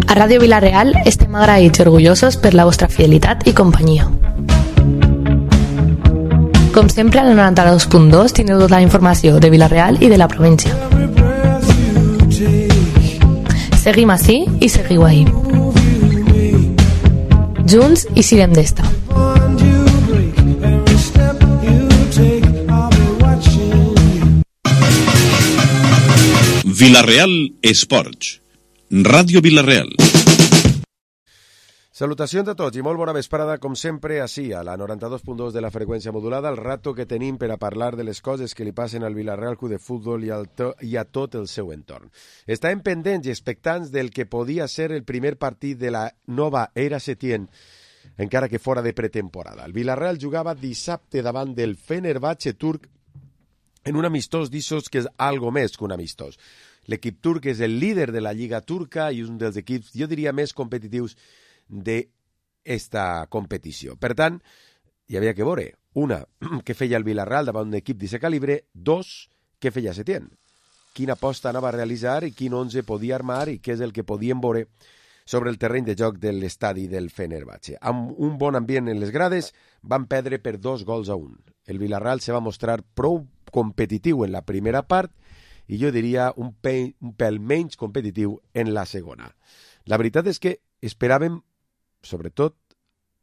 A Ràdio Vila-real estem agraïts i orgullosos per la vostra fidelitat i companyia. Com sempre, al 92.2 tindreu tota la informació de Vila-real i de la província. Seguim ací i seguiu ahí. Junts i sirem d'esta. Vila-real Esports. Ràdio Vila-real. Salutacions a tots i molt bona vesprada, com sempre, ací, a la 92.2 de la freqüència modulada, el rato que tenim per a parlar de les coses que li passen al Vila-real Club de Futbol i a tot el seu entorn. Estàvem pendents i expectants del que podia ser el primer partit de la nova era Setién, encara que fora de pretemporada. El Vila-real jugava dissabte davant del Fenerbahçe turc en un amistós d'issos que és algo més que un amistós. L'equip turc és el líder de la Lliga turca i un dels equips, jo diria, més competitius d'esta competició. Per tant, hi havia que veure, una, què feia el Vila-real davant d'un equip d'aquest calibre, dos, què feia Setién. Quina aposta anava a realitzar i quin 11 podia armar i què és el que podien veure sobre el terreny de joc de l'estadi del Fenerbahçe. Amb un bon ambient en les grades, van perdre per 2-1. El Vila-real se va mostrar prou competitiu en la primera part i jo diria un pèl menys competitiu en la segona. La veritat és que esperàvem, sobretot,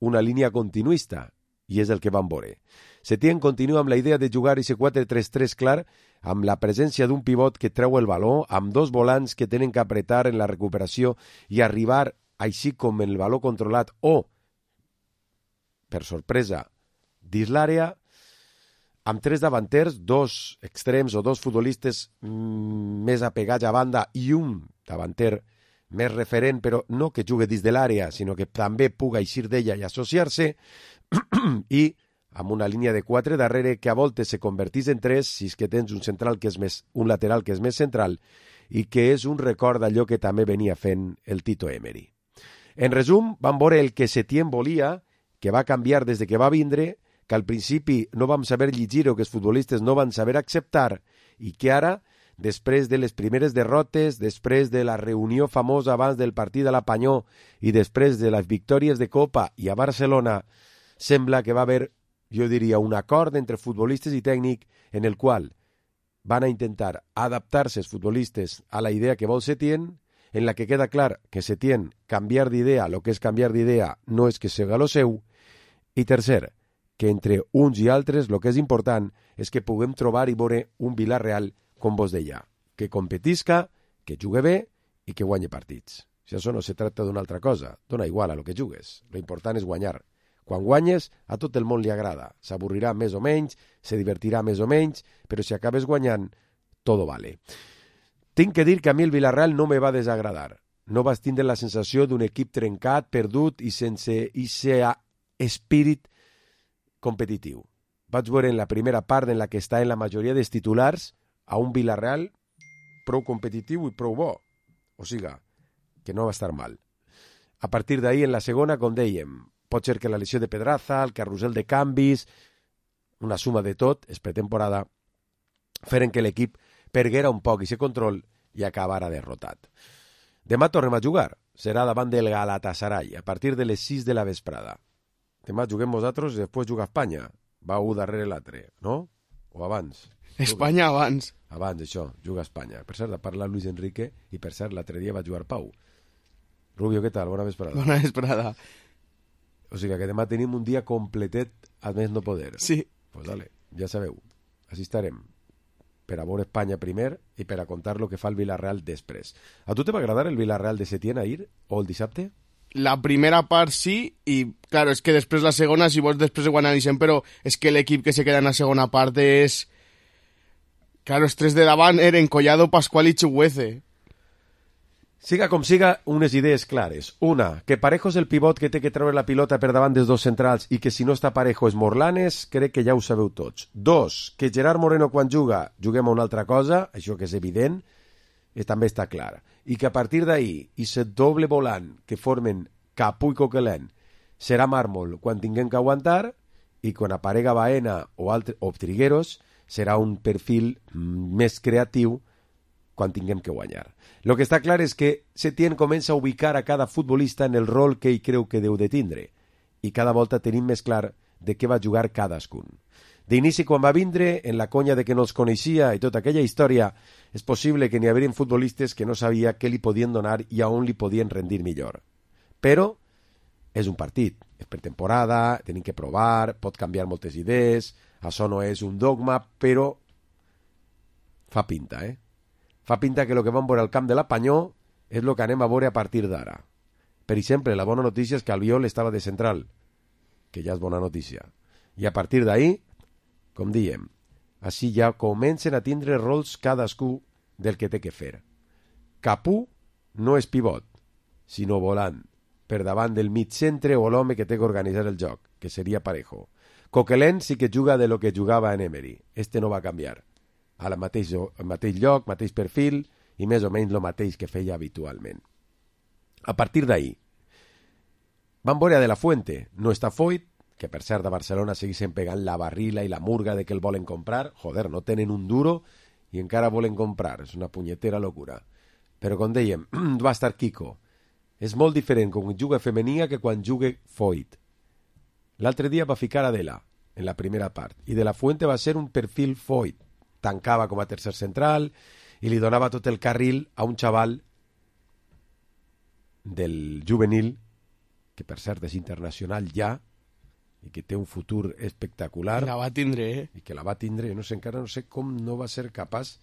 una línia continuista, i és el que vam veure. Setién continua amb la idea de jugar ese 4-3-3 clar, amb la presència d'un pivot que treu el baló, amb dos volants que tenen que apretar en la recuperació i arribar, així com el baló controlat, o, per sorpresa, dins l'àrea, amb tres davanters, dos extrems o dos futbolistes més apegats a banda i un davanter més referent, però no que jugui dins de l'àrea, sinó que també puga eixir d'ella i associar-se, i amb una línia de 4 darrere que a voltes se convertís en 3 si és que tens un lateral que és més central i que és un record d'allò que també venia fent el Tito Emery. En resum, vam veure el que Setién volia, que va canviar des de que va vindre, que al principi no vam saber llegir o que els futbolistes no van saber acceptar i que ara, després de les primeres derrotes, després de la reunió famosa abans del partit de la Panyó i després de les victòries de Copa i a Barcelona, sembla que va haver, jo diria, un acord entre futbolistes i tècnic en el qual van a intentar adaptar-se els futbolistes a la idea que vol Setién, en la que queda clar que Setién canviar d'idea, el que és canviar d'idea no és que siga lo seu, i tercer, que entre uns i altres el que és important és que puguem trobar i veure un Vila-real, com vos deia, que competisca, que jugue bé i que guanyi partits. Si això no se tracta d'una altra cosa, dona igual a lo que jugues, lo important és guanyar. Quan guanyes, a tot el món li agrada, s'avorrirà més o menys, se divertirà més o menys, però si acabes guanyant, todo vale. Tinc que dir que a mi el Vila-real no me va desagradar. No vas tindre la sensació d'un equip trencat, perdut i sense aquest espírit competitiu. Vaig veure en la primera part en la que està en la majoria dels titulars a un Vila-real prou competitiu i prou bo. O sigui, que no va estar mal. A partir d'ahir, en la segona, com dèiem, pot ser que la lesió de Pedraza, el carrusel de canvis, una suma de tot, és pretemporada, feren que l'equip perguera un poc i se control i acabara derrotat. Demà tornem a jugar. Serà davant del Galatasaray, a partir de les 6 de la vesprada. Demà juguem vosaltres i després juga Espanya. Va un darrere l'altre, no? O abans? Espanya abans. Abans, això, juga Espanya. Per cert, ha parlat Luis Enrique i per cert, l'altre dia va jugar Pau. Rubio, què tal? Bona vesprada. Bona vesprada. O sigui que demà tenim un dia completet a més no poder. Sí. Pues dale, ja sabeu. Així estarem. Per a veure Espanya primer i per a contar lo que fa el Vila-real després. A tu te va agradar el Vila-real de Setién ahir o el dissabte? La primera part sí, i claro, és que després la segona, si vols després ho analitzem, però és que l'equip que se queda en la segona part és... Claro, els tres de davant eren Collado, Pascual i Chuguece. Siga com siga, unes idees clares. Una, que Parejo és el pivot que té que treure la pilota per davant dels dos centrals i que si no està Parejo és Morlanes, crec que ja ho sabeu tots. Dos, que Gerard Moreno quan juga, juguem a una altra cosa, això que és evident, també està clar. I que a partir d'ahir, i set doble volant que formen Capú i Coquelin serà màrmol quan tinguem que aguantar, i quan aparega Baena o Trigueros serà un perfil més creatiu quan tinguem que guanyar. Lo que està clar és que Setién comença a ubicar a cada futbolista en el rol que ell creu que deu de tindre, i cada volta tenim més clar de què va jugar cadascun. D'inici, quan va vindre, en la conya de que no els coneixia i tota aquella història, és possible que n'hi haguessin futbolistes que no sabia què li podien donar i a on li podien rendir millor. Però és un partit, és per temporada, tenim que provar, pot canviar moltes idees, això no és un dogma, però fa pinta, Fa pinta que el que vam veure al camp de la Panyó és el que anem a veure a partir d'ara. Per exemple, la bona notícia és que Albiol estava de central, que ja és bona notícia. I a partir d'ahir, com diem, així ja comencen a tindre rols cadascú del que té que fer. Capú no és pivot, sinó volant, per davant del mig centre o l'home que té que organitzar el joc, que seria Parejo. Coquelin sí que juga de lo que jugava en Emery. Este no va canviar. Al mateix lloc, mateix perfil i més o menys el mateix que feia habitualment. A partir d'ahir, van veure De La Fuente, no està Foyt, que per cert a Barcelona segueixen pegant la barrila i la murga de que el volen comprar. Joder, no tenen un duro i encara volen comprar. És una punyetera locura. Però com dèiem, va estar Kiko. És molt diferent quan juga Femenia que quan juga Foyt. L'altre dia va ficar Adela en la primera part i De La Fuente va ser un perfil Foyt. Tancava com a tercer central i li donava tot el carril a un xaval del juvenil, que per cert és internacional ja, i que té un futur espectacular. La va tindre, I que la va tindre, encara no sé com no va ser capaç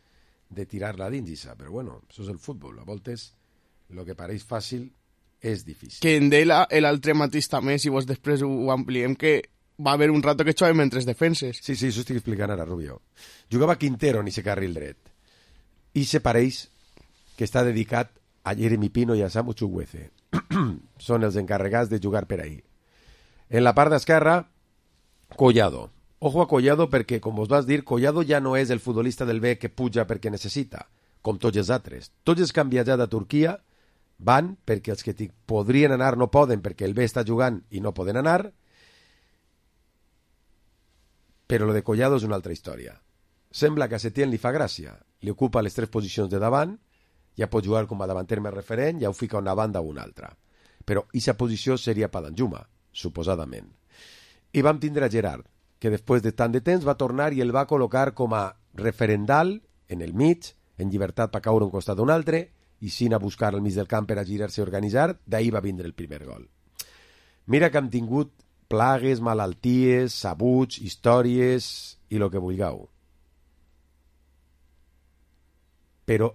de tirar-la dins, però bueno, això és el futbol. A voltes, el que pareix fàcil és difícil. Que en Dela, l'altre mateix també, si vos després ho ampliem, que va haver un rato que jugàvem entre defenses. Sí, això estic explicant ara, Rubio. Jugava Quintero en ese carril dret. I se pareix que està dedicat a Jeremy Pino i a Samu Chukwueze. Són els encarregats de jugar per ahí. En la part d'esquerra, Collado. Ojo a Collado perquè, com vos vas dir, Collado ja no és el futbolista del B que puja perquè necessita, com tots els altres. Tots els que han viatjat a Turquia van perquè els que podrien anar no poden perquè el B està jugant i no poden anar. Però lo de Collado és una altra història. Sembla que a Setién li fa gràcia. Li ocupa les 3 posicions de davant, ja pot jugar com a davanter més referent, ja ho fica una banda o una altra. Però aquesta posició seria per Danjuma, suposadament. I vam tindre a Gerard, que després de tant de temps va tornar i el va col·locar com a referendal en el mig, en llibertat per caure un costat d'un altre, i sin a buscar al mig del camp per a girar-se i organitzar, d'ahir va vindre el primer gol. Mira que hem tingut plagues, malalties, sabuts, històries i el que vulgueu. Però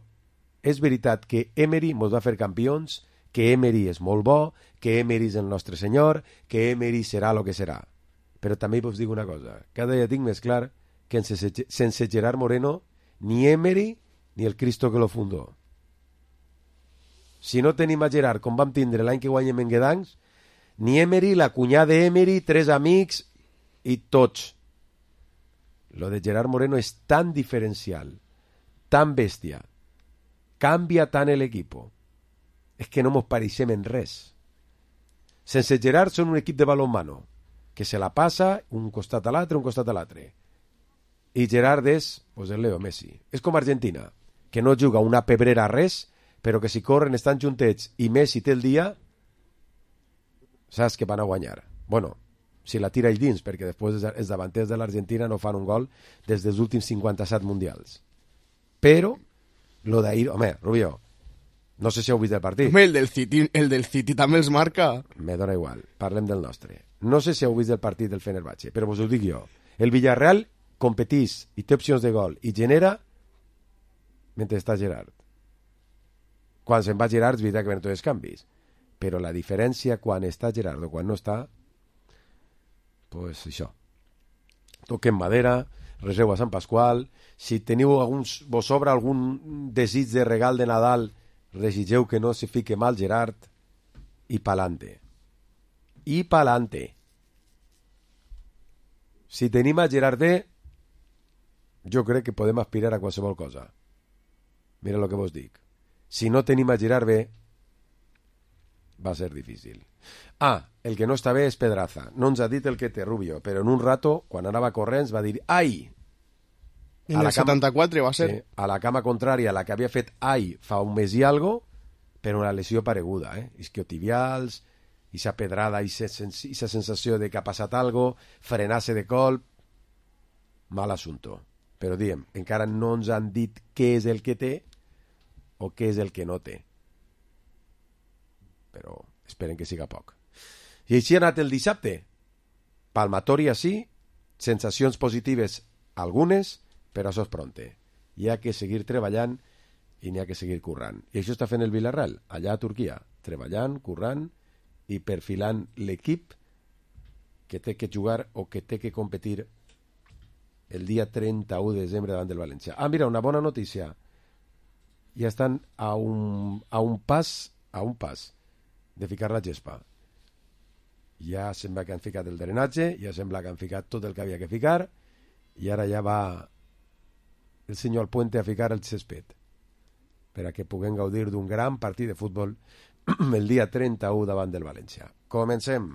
és veritat que Emery ens va fer campions, que Emery és molt bo, que Emery és el nostre senyor, que Emery serà el que serà. Però també vos dic una cosa, cada dia tinc més clar que sense Gerard Moreno ni Emery ni el Cristo que lo fundó. Si no tenim a Gerard com vam tindre l'any que guanyem en Guedancs, ni Emery, la cunyada d'Emery, 3 amics i tots. Lo de Gerard Moreno és tan diferencial, tan bèstia, canvia tant l'equipo. És que no mos pareixem en res. Sense Gerard són un equip de balonmano, que se la passa un costat a l'altre, un costat a l'altre. I Gerard és, pues, el Leo Messi. És com Argentina, que no juga una pebrera a res, però que si corren estan juntets i Messi té el dia, saps que van a guanyar. Bueno, si la tira ell dins, perquè després els davanters de l'Argentina no fan un gol des dels últims 57 mundials. Però, lo d'ahir... Home, Rubio, no sé si heu vist el partit. Home, el del City també els marca. Me dona igual, parlem del nostre. No sé si heu vist el partit del Fenerbahçe, però vos ho dic jo. El Villarreal competís i té opcions de gol i genera mentre està Gerard. Quan se'n va Gerard és veritat que venen tots els canvis, però la diferència quan està Gerard o quan no està, pues això. Toquem madera, reseu a Sant Pasqual, si teniu vos sobra algun desig de regal de Nadal, desitgeu que no se fique mal Gerard i pa'lante. I pa'lante. Si tenim a Gerard B, jo crec que podem aspirar a qualsevol cosa. Mira el que vos dic. Si no tenim a Gerard B, va ser difícil. Ah, el que no està bé és Pedraza. No ens ha dit el que té Rubio, però en un rato, quan anava corrents, va dir «Ai!». En el 74 va ser. Sí, a la cama contrària, la que havia fet Ai fa un mes i algo, per una lesió pareguda, isquiotibials, esa pedrada, esa sensació de que ha passat algo, frenar-se de colp, mal assumpte. Però diem, encara no ens han dit què és el que té o què és el que no té. Però esperen que siga poc. I així ha anat el dissabte. Palmatòria sí, sensacions positives algunes, però això és pronte. Hi ha que seguir treballant i n'hi ha que seguir currant. I això està fent el Villarreal, allà a Turquia, treballant, currant i perfilant l'equip que té que jugar o que té que competir el dia 31 de desembre davant del València. Ah, mira, una bona notícia. Ja estan a un pas de ficar la gespa. Ja sembla que han ficat el drenatge, ja sembla que han ficat tot el que havia que ficar, i ara ja va el senyor Alpuente a ficar el césped per a que puguem gaudir d'un gran partit de futbol el dia 31 davant del València. Comencem.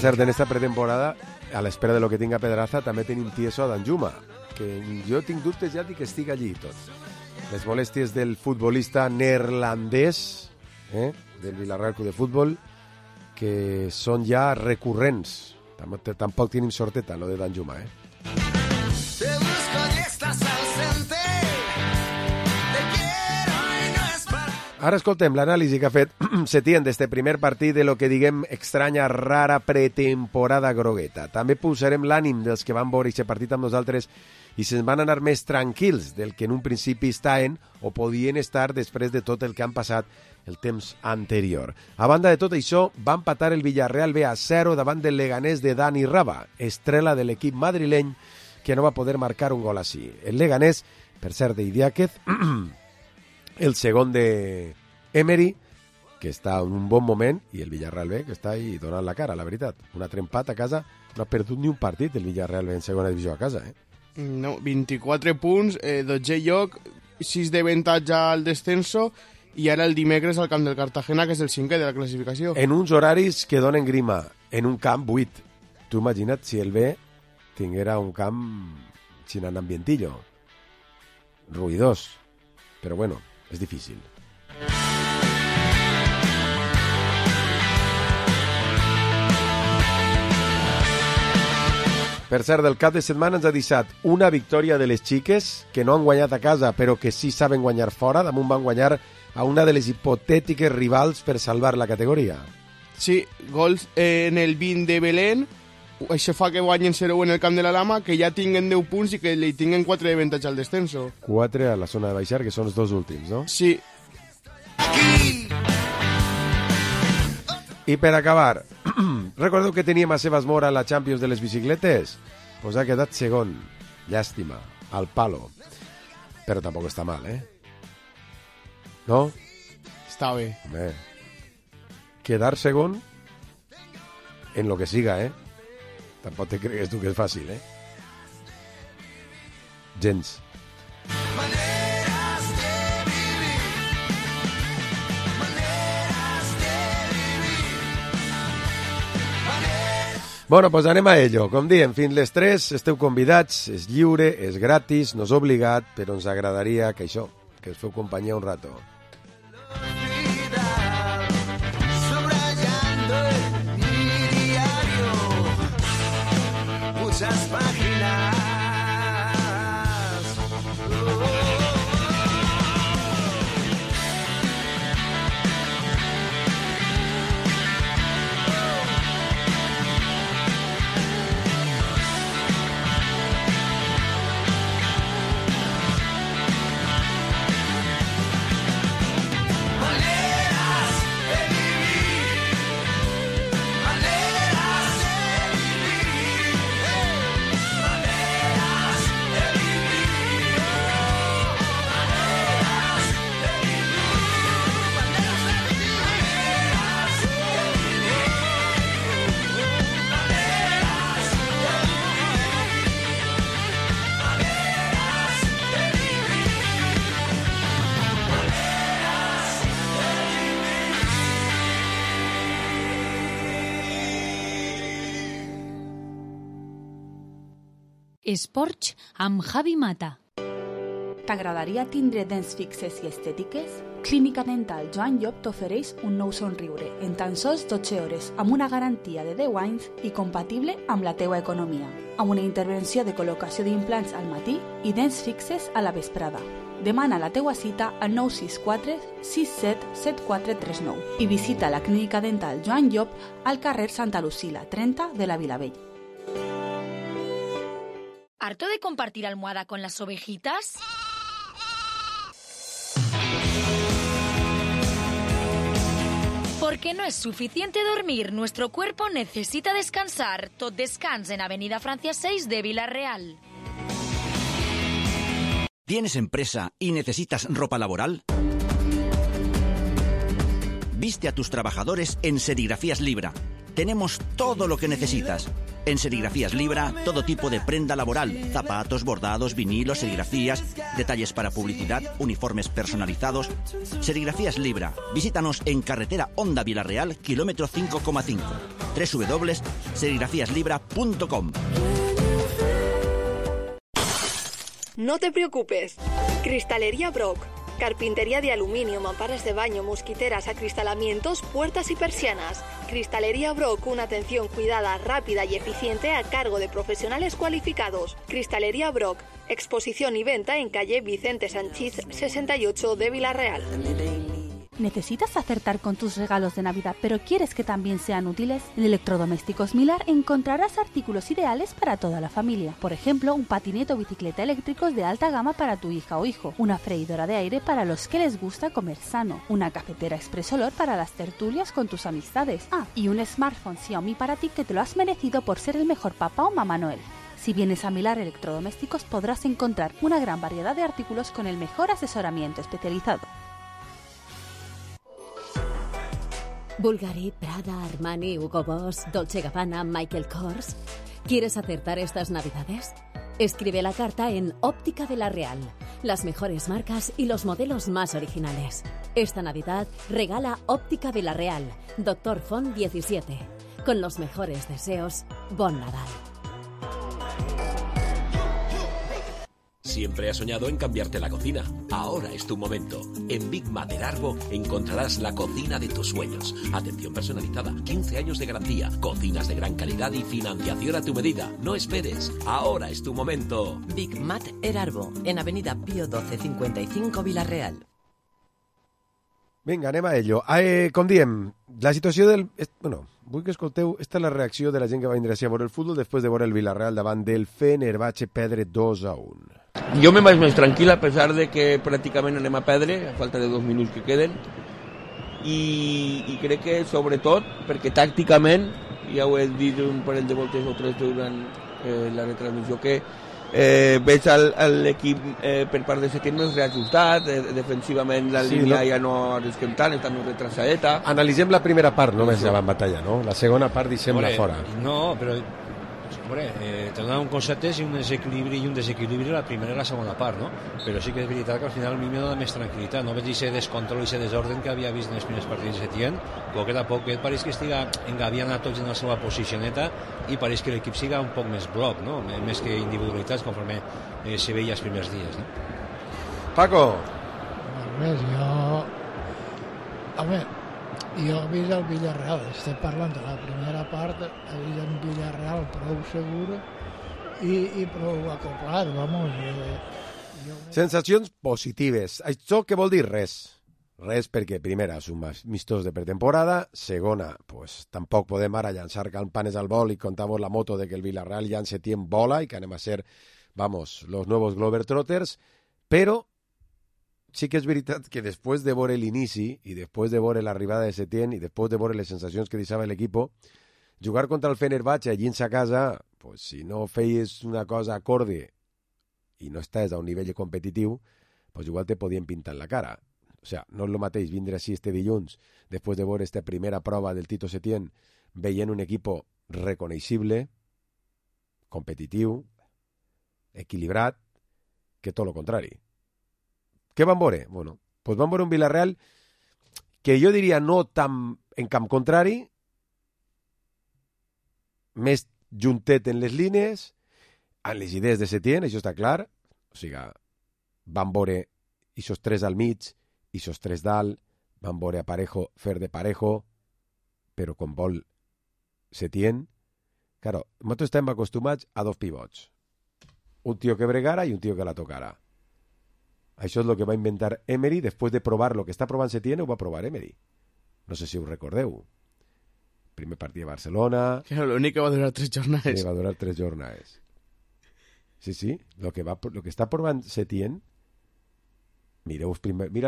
cert, en esta pretemporada, a l'espera de lo que tinga Pedraza, també tenim tieso a Danjuma, que jo tinc dubtes ja que estic allí tot. Les molèsties del futbolista neerlandès, del Villarreal Club de Futbol, que són ja recurrents. Tampoc tenim sorteta, lo de Danjuma, Te busco y estás ausente. Te quiero y no es para... Ara escoltem l'anàlisi que ha fet Setién d'este primer partit de lo que diguem estranya, rara pretemporada grogueta. També posarem l'ànim dels que van veure aquest partit amb nosaltres i se'n van anar més tranquils del que en un principi estaven o podien estar després de tot el que han passat el temps anterior. A banda de tot això, va empatar el Villarreal B a 0 davant del Leganés de Dani Raba, estrela de l'equip madrileny, que no va poder marcar un gol així. El Leganés, per cert, d'Idiáquez, el segon de Emery, que està en un bon moment, i el Villarreal B, que està ahí donant la cara, la veritat. Un altre empat a casa, no ha perdut ni un partit el Villarreal B en segona divisió a casa, No, 24 punts, 12 lloc, 6 d'avantatge al descenso, i ara el dimecres al camp del Cartagena, que és el 5è de la classificació. En uns horaris que donen grima, en un camp buit. Tu imagina't si el B tinguera un camp sin ambientillo, ruïdós, però bueno, és difícil. Per cert, del cap de setmana ens ha deixat una victòria de les xiques que no han guanyat a casa, però que sí saben guanyar fora. Damunt van guanyar a una de les hipotètiques rivals per salvar la categoria. Sí, gols en el 20 de Belén. Això fa que guanyen 0 en el camp de la Lama, que ja tinguen 10 punts i que li tinguen 4 d'avantatge al descenso. 4 a la zona de baixar, que són els dos últims, no? Sí. I per acabar, recordeu que teníem a Sebas Mora a la Champions de les bicicletes? Pues ha quedat segon. Llàstima, al palo. Però tampoc està mal, No? Està bé. Home, quedar segon en lo que siga, Tampoc te cregues tu que és fàcil, Gens. Bueno, pues anem a ello. Com diem, fins les 3 esteu convidats, és lliure, és gratis, no és obligat, però ens agradaria que això, que us feu companyia un rato. Subrayando mi diario, muchas Esports amb Javi Mata. T'agradaria tindre dents fixes i estètiques? Clínica Dental Joan Llop t'ofereix un nou somriure en tan sols 12 hores amb una garantia de 10 anys i compatible amb la teua economia, amb una intervenció de col·locació d'implants al matí i dents fixes a la vesprada. Demana la teua cita al 964 67 7439 i visita la Clínica Dental Joan Llop al carrer Santa Lucila 30 de la Vilavell. ¿Harto de compartir almohada con las ovejitas? Porque no es suficiente dormir, nuestro cuerpo necesita descansar. Tot Descans en Avenida Francia 6 de Vila-real. ¿Tienes empresa y necesitas ropa laboral? Viste a tus trabajadores en Serigrafías Libra. Tenemos todo lo que necesitas. En Serigrafías Libra, todo tipo de prenda laboral, zapatos, bordados, vinilos, serigrafías, detalles para publicidad, uniformes personalizados. Serigrafías Libra. Visítanos en carretera Honda Vila-real, kilómetro 5,5. www.serigrafiaslibra.com. No te preocupes. Cristalería Brock. Carpintería de aluminio, mamparas de baño, mosquiteras, acristalamientos, puertas y persianas. Cristalería Brock, una atención cuidada, rápida y eficiente a cargo de profesionales cualificados. Cristalería Brock, exposición y venta en calle Vicente Sanchís 68 de Vila-real. ¿Necesitas acertar con tus regalos de Navidad, pero quieres que también sean útiles? En Electrodomésticos Milar encontrarás artículos ideales para toda la familia. Por ejemplo, un patinete o bicicleta eléctricos de alta gama para tu hija o hijo, una freidora de aire para los que les gusta comer sano, una cafetera Express Olor para las tertulias con tus amistades. Y un smartphone Xiaomi para ti que te lo has merecido por ser el mejor papá o mamá Noel. Si vienes a Milar Electrodomésticos podrás encontrar una gran variedad de artículos con el mejor asesoramiento especializado. Bulgari, Prada, Armani, Hugo Boss, Dolce Gabbana, Michael Kors. ¿Quieres acertar estas Navidades? Escribe la carta en Óptica Vila-real. Las mejores marcas y los modelos más originales. Esta Navidad regala Óptica Vila-real, Dr. Font 17. Con los mejores deseos, Bon Nadal. Siempre has soñado en cambiarte la cocina. Ahora es tu momento. En Big Mater Arbo encontrarás la cocina de tus sueños. Atención personalizada, 15 años de garantía, cocinas de gran calidad y financiación a tu medida. No esperes. Ahora es tu momento. Big Mater Arbo, en Avenida Pío 12 55 Vila-real. Vinga, anem a ello. Com diem, la situació del... Bueno, vull que escolteu, esta és la reacció de la gent que va vindre a veure el futbol després de veure el Vila-real davant del Fenerbahçe perdre 2-1. Jo me vaig més tranquil, a pesar de que pràcticament anem a perdre, a falta de 2 minuts que queden, i crec que, sobretot, perquè tàcticament, ja ho he dit un parell de voltes o tres durant la retransmissió, que veig l'equip per part de Setién més reajustat, defensivament la línia ja no arrisquem tant, està més retrasadeta. Analitzem la primera part, només ja van batallar, no? La segona part deixem-la fora. No, però te donen un concepte i un desequilibri la primera i la segona part, no? Però sí que és veritat que al final a mi me dona més tranquil·litat, no veig aquest descontrol i aquest desorden que havia vist en els primers partits de Setién, poquet a poc pareix que estiga engaviant a tots en la seva posicioneta i pareix que l'equip siga un poc més bloc, no? Més que individualitats conforme se veia els primers dies, no? Paco! Jo he vist el Villarreal, estem parlant de la primera part, he vist el Villarreal prou segur i prou acoplat, vamos. Sensacions positives. Això què vol dir? Res. Res perquè, primera, és un amistós de pretemporada, segona, pues tampoc podem ara llançar campanes al vol i contar-vos la moto de que el Villarreal ja en Setién vola i que anem a ser, vamos, los nuevos Globetrotters, però sí que és veritat que després de veure l'inici i després de veure l'arribada de Setién i després de veure les sensacions que deixava l'equip, jugar contra el Fenerbahçe allí a casa, pues, si no feies una cosa acorde i no estàs a un nivell competitiu, pues igual te podien pintar en la cara. O sea, no és el mateix vindre així este dilluns després de veure esta primera prova del Tito Setién veient un equip reconeixible, competitiu, equilibrat, que tot el contrari. Què van veure? Bueno, pues van veure un Villarreal que jo diria no tan en camp contrari, més juntet en les línies, en les idees de Setién, això està clar. O sigui, van veure aquests 3 al mig, aquests 3 dalt, van veure a Parejo fer de Parejo, però com vol Setién, claro, nosaltres estem acostumats a 2 pivots. Un tio que bregara i un tio que la tocara. Això és el que va inventar Emery, després de provar el que està provant Setién, ho va provar Emery. No sé si ho recordeu. Primer partit a Barcelona... Claro, l'únic que va durar 3 jornades. Sí, va durar 3 jornades. Sí, lo que està provant Setién, mira el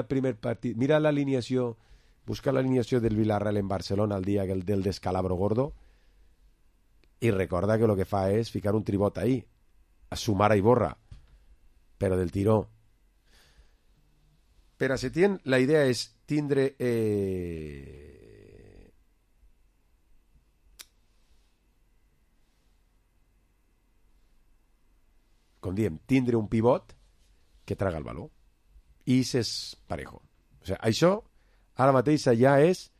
primer partit, mira l'alineació, busca l'alineació del Villarreal en Barcelona el dia del descalabro gordo i recorda que lo que fa és ficar un tribot ahí, a sumar a Iborra, però del tiró. Per a Setién la idea és tindre com diem, tindre un pivot que traga el valor. I és Parejo. O sigui, això ara mateix ja és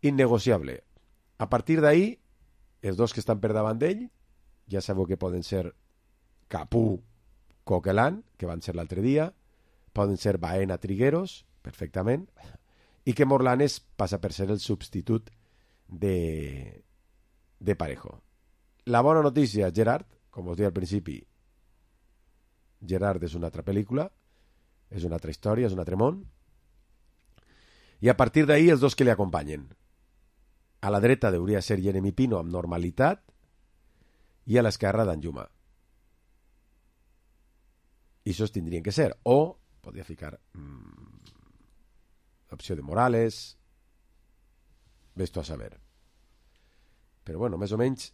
innegociable. A partir d'ahí, els 2 que estan per davant d'ell, ja sabeu que poden ser Capú, Coquelin, que van ser l'altre dia, poden ser Baena, Trigueros, perfectament, i que Morlanes passa per ser el substitut de Parejo. La bona notícia, Gerard, com us deia al principi, Gerard és una altra pel·lícula, és una altra història, és un altre món, i a partir d'ahí els 2 que li acompanyen. A la dreta hauria de ser Jeremy Pino amb normalitat i a l'esquerra Danjuma. I això tindrien que ser. O podria ficar l'opció de Morales, ves-t'ho a saber. Però bueno, més o menys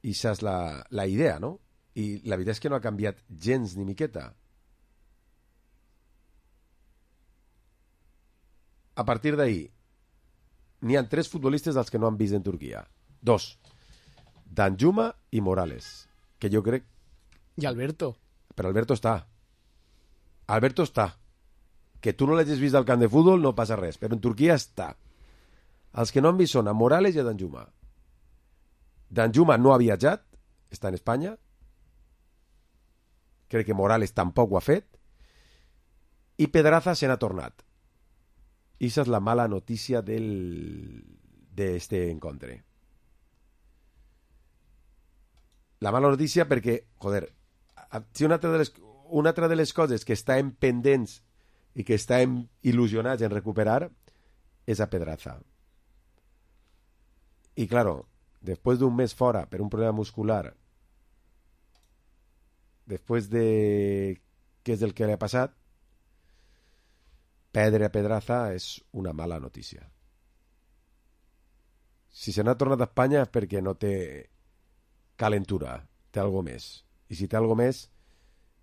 això és la idea, no? I la veritat és que no ha canviat gens ni miqueta. A partir d'ahí, n'hi ha 3 futbolistes dels que no han vist en Turquia. 2. Danjuma i Morales, que jo crec... I Alberto. Però Alberto està. Alberto està. Que tu no l'hagis vist al camp de futbol no passa res, però en Turquia està. Els que no han vist són a Morales i a Danjuma. Danjuma no ha viatjat, està en Espanya. Crec que Morales tampoc ho ha fet. I Pedraza se n'ha tornat. I aquesta és la mala notícia d'este encontre. La mala notícia perquè, joder, si una altra de les coses que estem pendents i que estem il·lusionats en recuperar és a Pedraza. I, claro, després d'un mes fora per un problema muscular, després de què és el que li ha passat, perdre a Pedraza és una mala notícia. Si se n'ha tornat a Espanya és perquè no té calentura, té algo més. I si té algo més,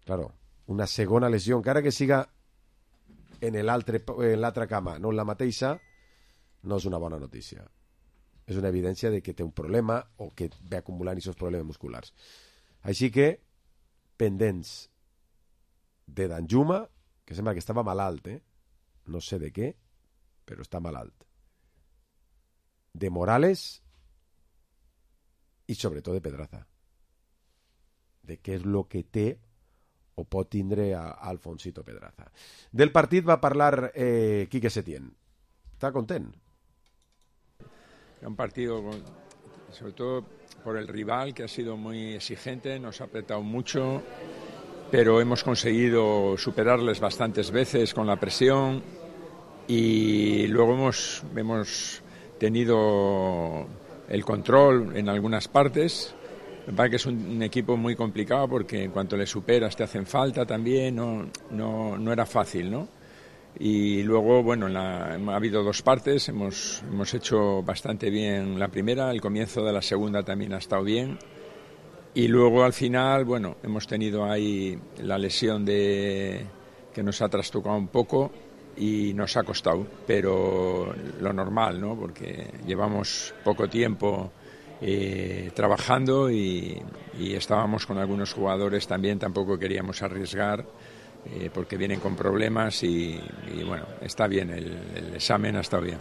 claro, una segona lesió, encara que siga en l'altra cama, no en la mateixa, no és una bona notícia. És una evidència de que té un problema o que ve acumulant aquests problemes musculars. Així que, pendents de Danjuma, que sembla que estava malalt, no sé de què, però està malalt. De Morales i sobretot de Pedraza. De què és el que té o pot tindre a Alfonsito Pedraza. Del partit va parlar Quique Setién. ¿Está content? Un partido, sobre todo por el rival, que ha sido muy exigente, nos ha apretado mucho, pero hemos conseguido superarles bastantes veces con la presión y luego hemos tenido el control en algunas partes. Me parece que es un equipo muy complicado porque en cuanto le superas te hacen falta también, no era fácil, ¿no? Y luego, bueno, ha habido 2 partes, hemos hecho bastante bien la primera, el comienzo de la segunda también ha estado bien. Y luego al final, bueno, hemos tenido ahí la lesión que nos ha trastocado un poco y nos ha costado, pero lo normal, ¿no? Porque llevamos poco tiempo trabajando y estábamos con algunos jugadores también, tampoco queríamos arriesgar porque vienen con problemas y bueno, está bien, el examen ha estado bien.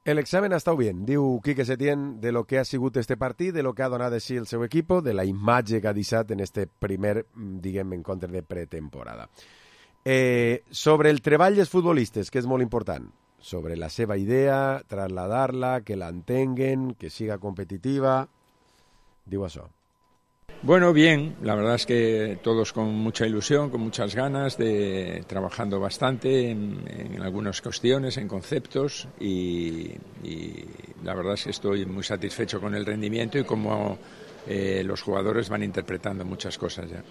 El examen ha estado bien, diu Quique Setién, de lo que ha sigut este partit, de lo que ha donat de si el seu equip, de la imatge que ha deixat en este primer, diguem, encontre de pretemporada. Sobre el treball dels futbolistes, que és molt important, sobre la seva idea, trasladar-la, que la entenguen, que siga competitiva, diu això. Bueno, bien, la verdad es que todos con mucha ilusión, con muchas ganas, trabajando bastante en algunas cuestiones, en conceptos y la verdad es que estoy muy satisfecho con el rendimiento y cómo los jugadores van interpretando muchas cosas ya.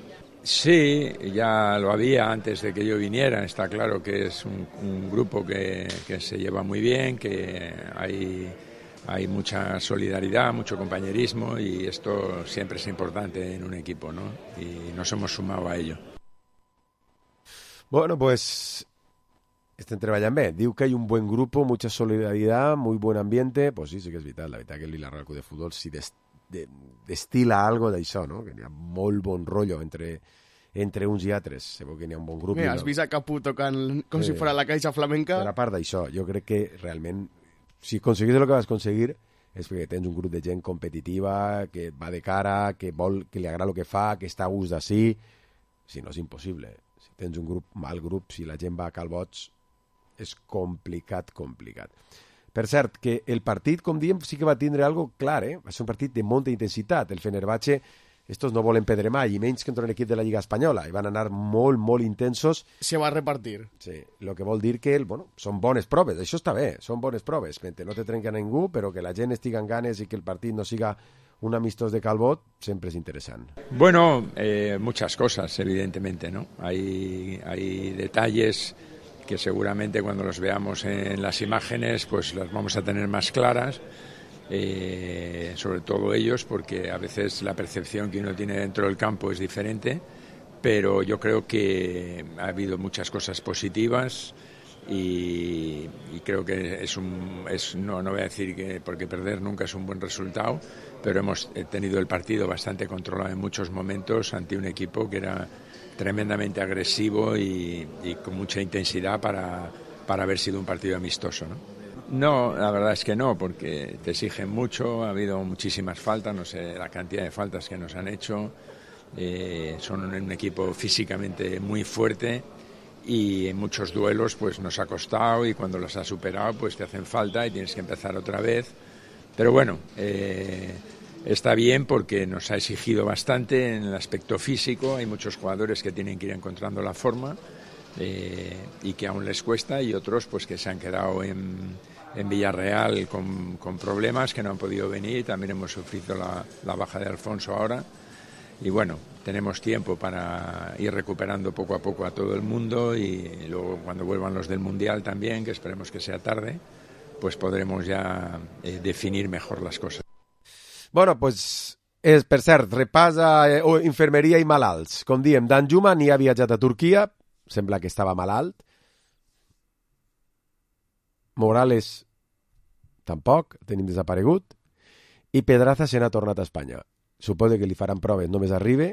Sí, ya lo había antes de que yo viniera, está claro que es un grupo que se lleva muy bien, que hay mucha solidaridad, mucho compañerismo y esto siempre es importante en un equipo, ¿no? Y nos hemos sumado a ello. Bueno, pues estem treballant bé. Diu que hay un buen grupo, mucha solidaridad, muy buen ambiente. Pues sí que és veritat. La veritat que el Villarreal Club de Futbol sí destila algo d'això, no? Que hi ha molt bon rotllo entre uns i altres. Se veu que hi ha un bon grup. Has vist a Capú tocant com si fos la Caixa Flamenca? Per a part d'això, jo crec que realment si aconseguis el que vas aconseguir és perquè tens un grup de gent competitiva, que va de cara, que vol, que li agrada el que fa, que està a gust d'ací. Si no, és impossible. Si tens un grup, mal grup, si la gent va a calbots, és complicat. Per cert, que el partit, com diem, sí que va tindre algo clar, va ser un partit de molta intensitat. El Fenerbahçe, estos no volen perdre mai, i menys que contra un equip de la Lliga Espanyola, i van anar molt intensos. Se va a repartir. Sí, el que vol dir que, són bones proves, això està bé, són bones proves, mentre no te trenca ningú, però que la gent estigui en ganes i que el partit no siga un amistós de calbot, sempre és interessant. Bueno, muchas cosas, evidentemente, ¿no? Hay detalles que seguramente cuando los veamos en las imágenes, pues las vamos a tener más claras. Sobre todo ellos, porque a veces la percepción que uno tiene dentro del campo es diferente, pero yo creo que ha habido muchas cosas positivas y creo que no voy a decir que porque perder nunca es un buen resultado, pero hemos tenido el partido bastante controlado en muchos momentos ante un equipo que era tremendamente agresivo y con mucha intensidad para haber sido un partido amistoso, ¿no? No, la verdad es que no, porque te exigen mucho, ha habido muchísimas faltas, no sé la cantidad de faltas que nos han hecho, son un equipo físicamente muy fuerte y en muchos duelos pues nos ha costado y cuando los has superado pues te hacen falta y tienes que empezar otra vez, pero bueno, está bien porque nos ha exigido bastante en el aspecto físico, hay muchos jugadores que tienen que ir encontrando la forma y que aún les cuesta y otros pues que se han quedado en Villarreal con problemas que no han podido venir. También hemos sufrido la baja de Alfonso ahora y bueno, tenemos tiempo para ir recuperando poco a poco a todo el mundo y luego cuando vuelvan los del Mundial también, que esperemos que sea tarde, pues podremos ya definir mejor las cosas. Bueno, pues per cert, repasa infermeria i malalts. Com diem, Danjuma ni ha viatjat a Turquia, sembla que estava malalt. Morales tampoc, tenim desaparegut, i Pedraza se n'ha tornat a Espanya. Suposo que li faran proves, només arribe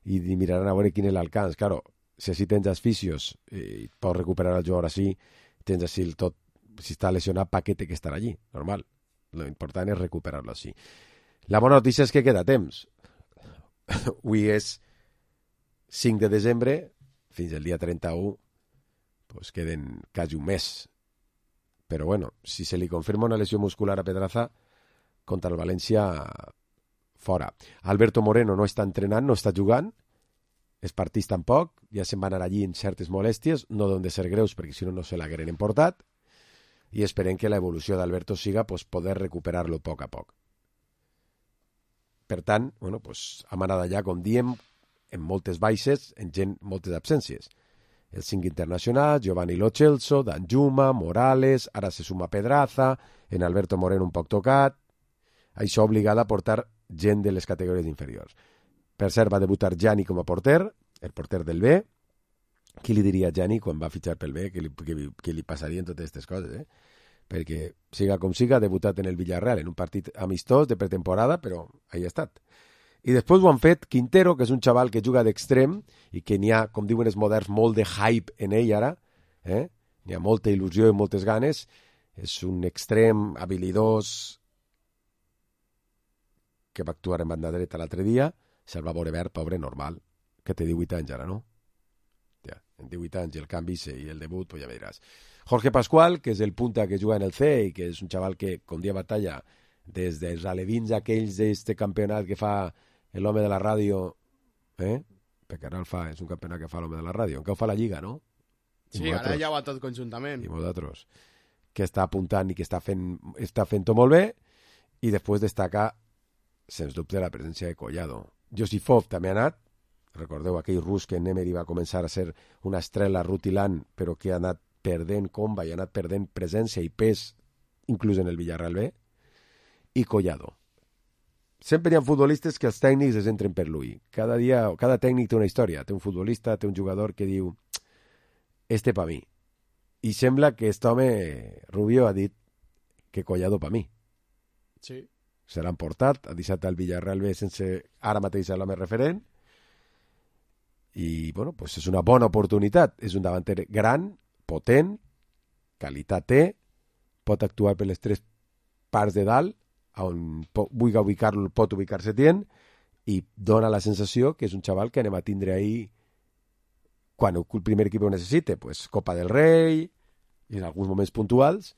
i miraran a veure quin és l'alcance. Claro, si així tens els fisios i pots recuperar el jugador així, tens així el tot, si està lesionat, paquete que estarà allí, normal. Lo important és recuperar-lo així. La bona notícia és que queda temps. Avui és 5 de desembre, fins el dia 31, pues queden quasi un mes. Però bueno, si se li confirma una lesió muscular a Pedraza, contra el València, fora. Alberto Moreno no està entrenant, no està jugant, els partits tampoc, ja se'n van anar allí en certes molèsties, no deuen de ser greus perquè si no se l'hagueren emportat, i esperem que l'evolució d'Alberto siga pues, poder recuperar-lo a poc a poc. Per tant, bueno, pues, hem anat allà, com diem, en moltes baixes, en gent, moltes absències. Els 5 internacionals, Giovanni Lo Celso, Danjuma, Morales, ara se suma Pedraza, en Alberto Moreno un poc tocat. Això obligat a portar gent de les categories inferiors. Per cert, va debutar Gianni com a porter, el porter del B. Qui li diria a Gianni quan va fitxar pel B que li passarien totes aquestes coses, Perquè, siga com siga, ha debutat en el Villarreal, en un partit amistós de pretemporada, però ahí ha estat. I després ho han fet Quintero, que és un xaval que juga d'extrem i que n'hi ha, com diuen els moderns, molt de hype en ell ara, N'hi ha molta il·lusió i moltes ganes, És un extrem habilidós que va actuar en banda dreta l'altre dia, se'l va veure verd, pobre, normal, que té 18 anys ara, no? Ja, en 18 anys el canvi i el debut, pues ja veuràs. Jorge Pascual, que és el punta que juga en el C i que és un xaval que con dia batalla des dels alevins aquells d'este campionat que fa l'home de la ràdio, perquè ara és un campionat que fa l'home de la ràdio, encara ho fa la Lliga, no? Sí, ara ja va tot conjuntament. I nosaltres, que està apuntant i que està fent-ho molt bé, i després destaca, sens dubte, la presència de Collado. Josifov també ha anat, recordeu aquell rus que en Emery va començar a ser una estrella rutilant, però que ha anat perdent comba i ha anat perdent presència i pes, inclús en el Villarreal B, i Collado. Sempre hi ha futbolistes que els tècnics es entren per l'ull. Cada tècnic té una història. Té un futbolista, té un jugador que diu este pa mi. I sembla que aquest home, Rubio, ha dit que Collado pa mi. Sí. Se l'han portat, ha deixat el Villarreal B sense ara mateix l'home referent, i bueno, pues és una bona oportunitat. És un davanter gran, potent, qualitat té, pot actuar per les tres parts de dalt, on vulgui ubicar-lo, pot ubicar-se tient, i dona la sensació que és un xaval que anem a tindre ahir quan el primer equip ho necessite, pues Copa del Rei, i en alguns moments puntuals,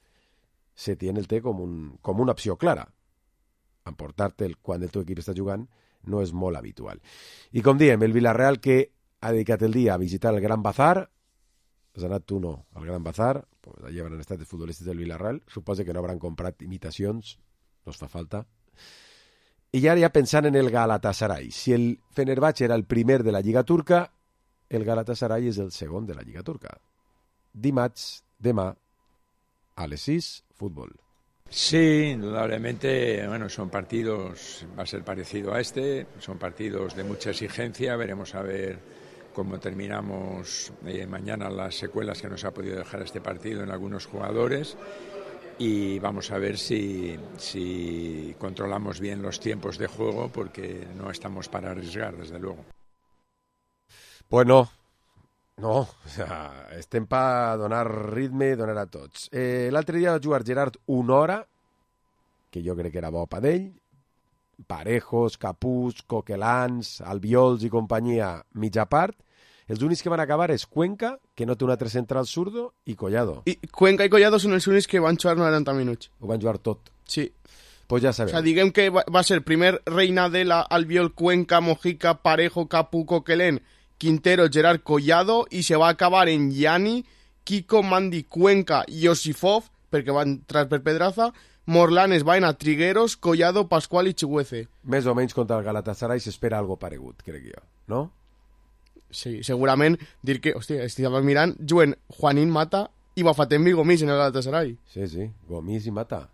Setién el té com una opció clara. Emportar-te'l quan el teu equip està jugant no és molt habitual. I com diem, el Villarreal, que ha dedicat el dia a visitar el Gran Bazar. Has anat tu, no, al Gran Bazar? Pues allà han estat els futbolistes del Villarreal. Suposo que no hauran comprat imitacions, no es fa falta. I ara ja pensant en el Galatasaray. Si el Fenerbahçe era el primer de la Lliga Turca, el Galatasaray és el segon de la Lliga Turca. Dimarts, demà, a les 6, fútbol. Sí, indudablemente, bueno, son partidos, va a ser parecido a este, son partidos de mucha exigencia, veremos a ver cómo terminamos mañana las secuelas que nos ha podido dejar este partido en algunos jugadores, y vamos a ver si controlamos bien los tiempos de juego, porque no estamos para arriesgar, desde luego. Pues no, o sea, estem per donar ritme i donar a tots. L'altre dia va jugar Gerard una hora, que jo crec que era bo per ell. Parejos, Capús, Coquelans, Albiols i companyia mitja part. Els únics que van acabar és Cuenca, que no té un altre central zurdo, i Collado. I Cuenca i Collado són els únics que van jugar 90 minuts. Ho van jugar tot. Sí. Pues ja sabeu. O sea, diguem que va ser primer Reinadela, Albiol, Cuenca, Mojica, Parejo, Capú, Coquelén, Quintero, Gerard, Collado, i se va acabar en Yani, Kiko, Mandi, Cuenca, Josifov, perquè van entrar per Pedraza, Morlanes, Baena, Trigueros, Collado, Pascual i Chihuece. Més o menys contra el Galatasaray s'espera algo paregut, crec jo, no? Sí, segurament dir que, hòstia, estava mirant, juguen Juanín, Mata i Bafatembi i Gomis en el Galatasaray. Sí, Gomis i Mata.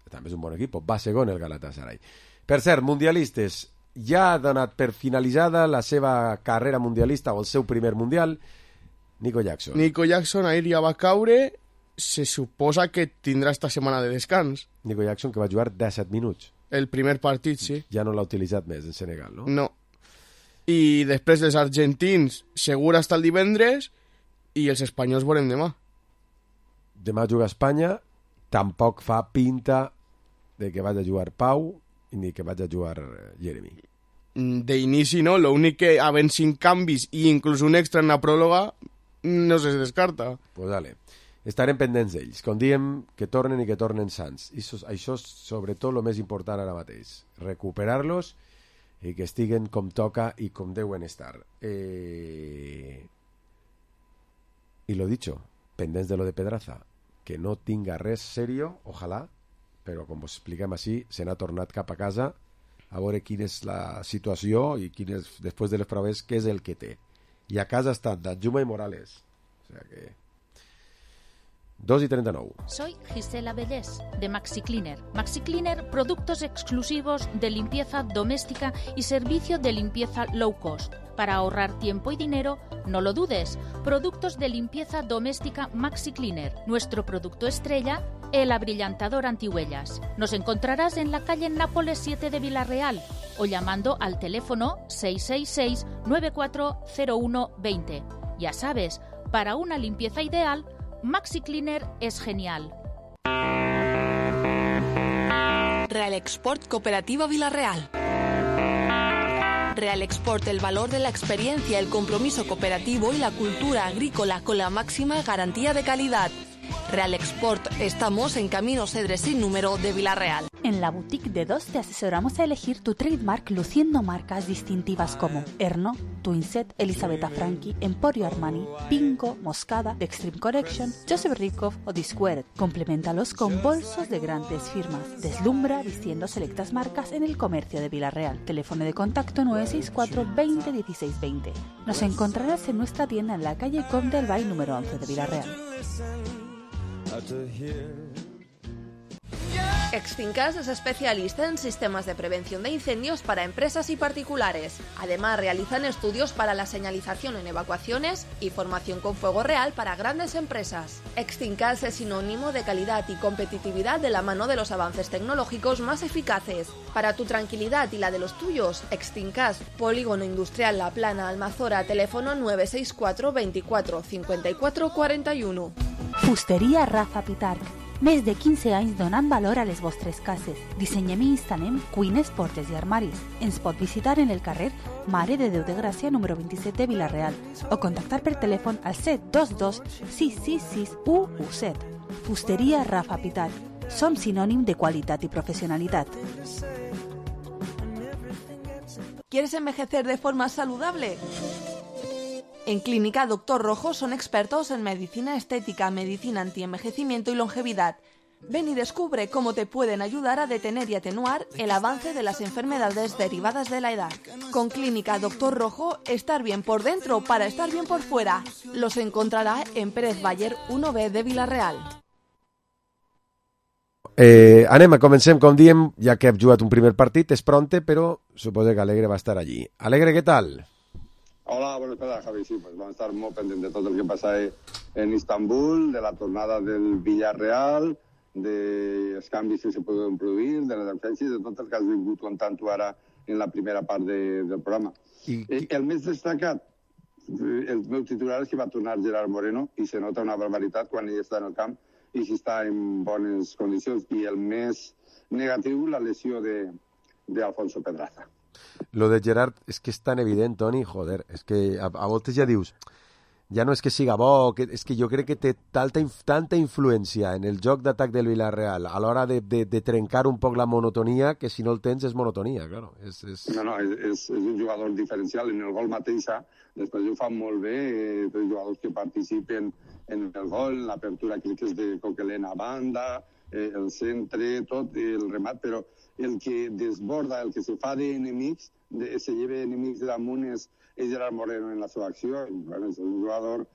També és un bon equip, va segon el Galatasaray. Per cert, mundialistes, ja ha donat per finalitzada la seva carrera mundialista o el seu primer mundial, Nico Jackson. Nico Jackson ahir ja va caure, se suposa que tindrà esta setmana de descans. Nico Jackson, que va jugar 17 minuts. El primer partit, sí. Ja no l'ha utilitzat més en Senegal, no? No. I després dels argentins, segur hasta el divendres, i els espanyols veurem demà. Demà juga a Espanya, tampoc fa pinta de que vagi a jugar Pau ni que vagi a jugar Jeremy. D'inici no, l'únic que havent 5 canvis i inclús un extra en la pròloga no se descarta. Pues dale. Estarem pendents d'ells. Com diem, que tornen i que tornen sants. Això és sobretot el més important ara mateix. Recuperar-los i que estiguen com toca i com deuen estar. I lo dicho, pendents de lo de Pedraza, que no tinga res serio, ojalà, però com us expliquem així, se n'ha tornat cap a casa a veure quina és la situació i quin és, després de les proves, què és el que té. I a casa estan Danjuma i Morales. O sea que... 2:39. Soy Gisela Bellés, de Maxi Cleaner. Maxi Cleaner, productos exclusivos de limpieza doméstica y servicio de limpieza low cost. Para ahorrar tiempo y dinero, no lo dudes. Productos de limpieza doméstica Maxi Cleaner. Nuestro producto estrella, el abrillantador antihuellas. Nos encontrarás en la calle Nápoles 7 de Villarreal o llamando al teléfono 666-940120. Ya sabes, para una limpieza ideal, Maxi Cleaner es genial. Real Export Cooperativa Villarreal. Real Export, el valor de la experiencia, el compromiso cooperativo y la cultura agrícola con la máxima garantía de calidad. Real Export, estamos en Camino Cedres sin número de Villarreal. En la boutique de DOS te asesoramos a elegir tu trademark luciendo marcas distintivas como Erno, Twinset, Elisabetta Franchi, Emporio Armani, Pinko, Moscada, The Extreme Collection, Joseph Ribkoff o Disquared. Compleméntalos con bolsos de grandes firmas. Deslumbra vistiendo selectas marcas en el comercio de Villarreal. Teléfono de contacto 964 20 16 20. Nos encontrarás en nuestra tienda en la calle Comte del Bay número 11 de Villarreal. Extincas es especialista en sistemas de prevención de incendios para empresas y particulares. Además, realizan estudios para la señalización en evacuaciones y formación con fuego real para grandes empresas. Extincas es sinónimo de calidad y competitividad de la mano de los avances tecnológicos más eficaces. Para tu tranquilidad y la de los tuyos, Extincas, Polígono Industrial La Plana, Almazora, teléfono 964 24 54 41. Fusteria Rafa Pitarch. Més de 15 anys donant valor a les vostres cases. Dissenyem i instal·lem cuines, portes i armaris. Ens pot visitar en el carrer Mare de Déu de Gràcia número 27 de Villarreal o contactar per telèfon al 722 666 117. Fusteria Rafa Pitarch. Som sinònim de qualitat i professionalitat. ¿Quieres envejecer de forma saludable? En Clínica Doctor Rojo son expertos en medicina estética, medicina antienvejecimiento y longevidad. Ven y descubre cómo te pueden ayudar a detener y atenuar el avance de las enfermedades derivadas de la edad. Con Clínica Doctor Rojo, estar bien por dentro para estar bien por fuera. Los encontrará en Pérez Bayer 1B de Villarreal. Comencem, com diem, ja que hem jugat un primer partit, és pronte, però suposo que Alegre va estar allí. Alegre, ¿qué tal? Hola, buenas tardes, Javi. Sí, pues vamos a estar muy pendientes de todo lo que pasa en Istambul, de la tornada del Villarreal, de los cambios que se pueden producir, de la defensa i de tot el que has vingut contant tu ara en la primera part del programa. El més destacat, el meu titular és que va tornar Gerard Moreno i se nota una barbaritat quan ell està en el camp i si està en bones condicions. I el més negatiu, la lesió d'Alfonso Pedraza. Lo de Gerard és que és tan evident, Toni, joder, és que a voltes ja dius, ja no és que siga bo, és que jo crec que té tanta influència en el joc d'atac del Villarreal a l'hora de trencar un poc la monotonia, que si no el tens és monotonia, claro. No, és un jugador diferencial. En el gol mateix, després ho fan molt bé, els jugadors que participen en el gol, l'apertura crec que és de Coquelin a banda, el centre, tot, el remat, però el que desborda, el que se fa d'enemics, se lleva enemics damunt és Gerard Moreno en la seva acció. Bueno, és un jugador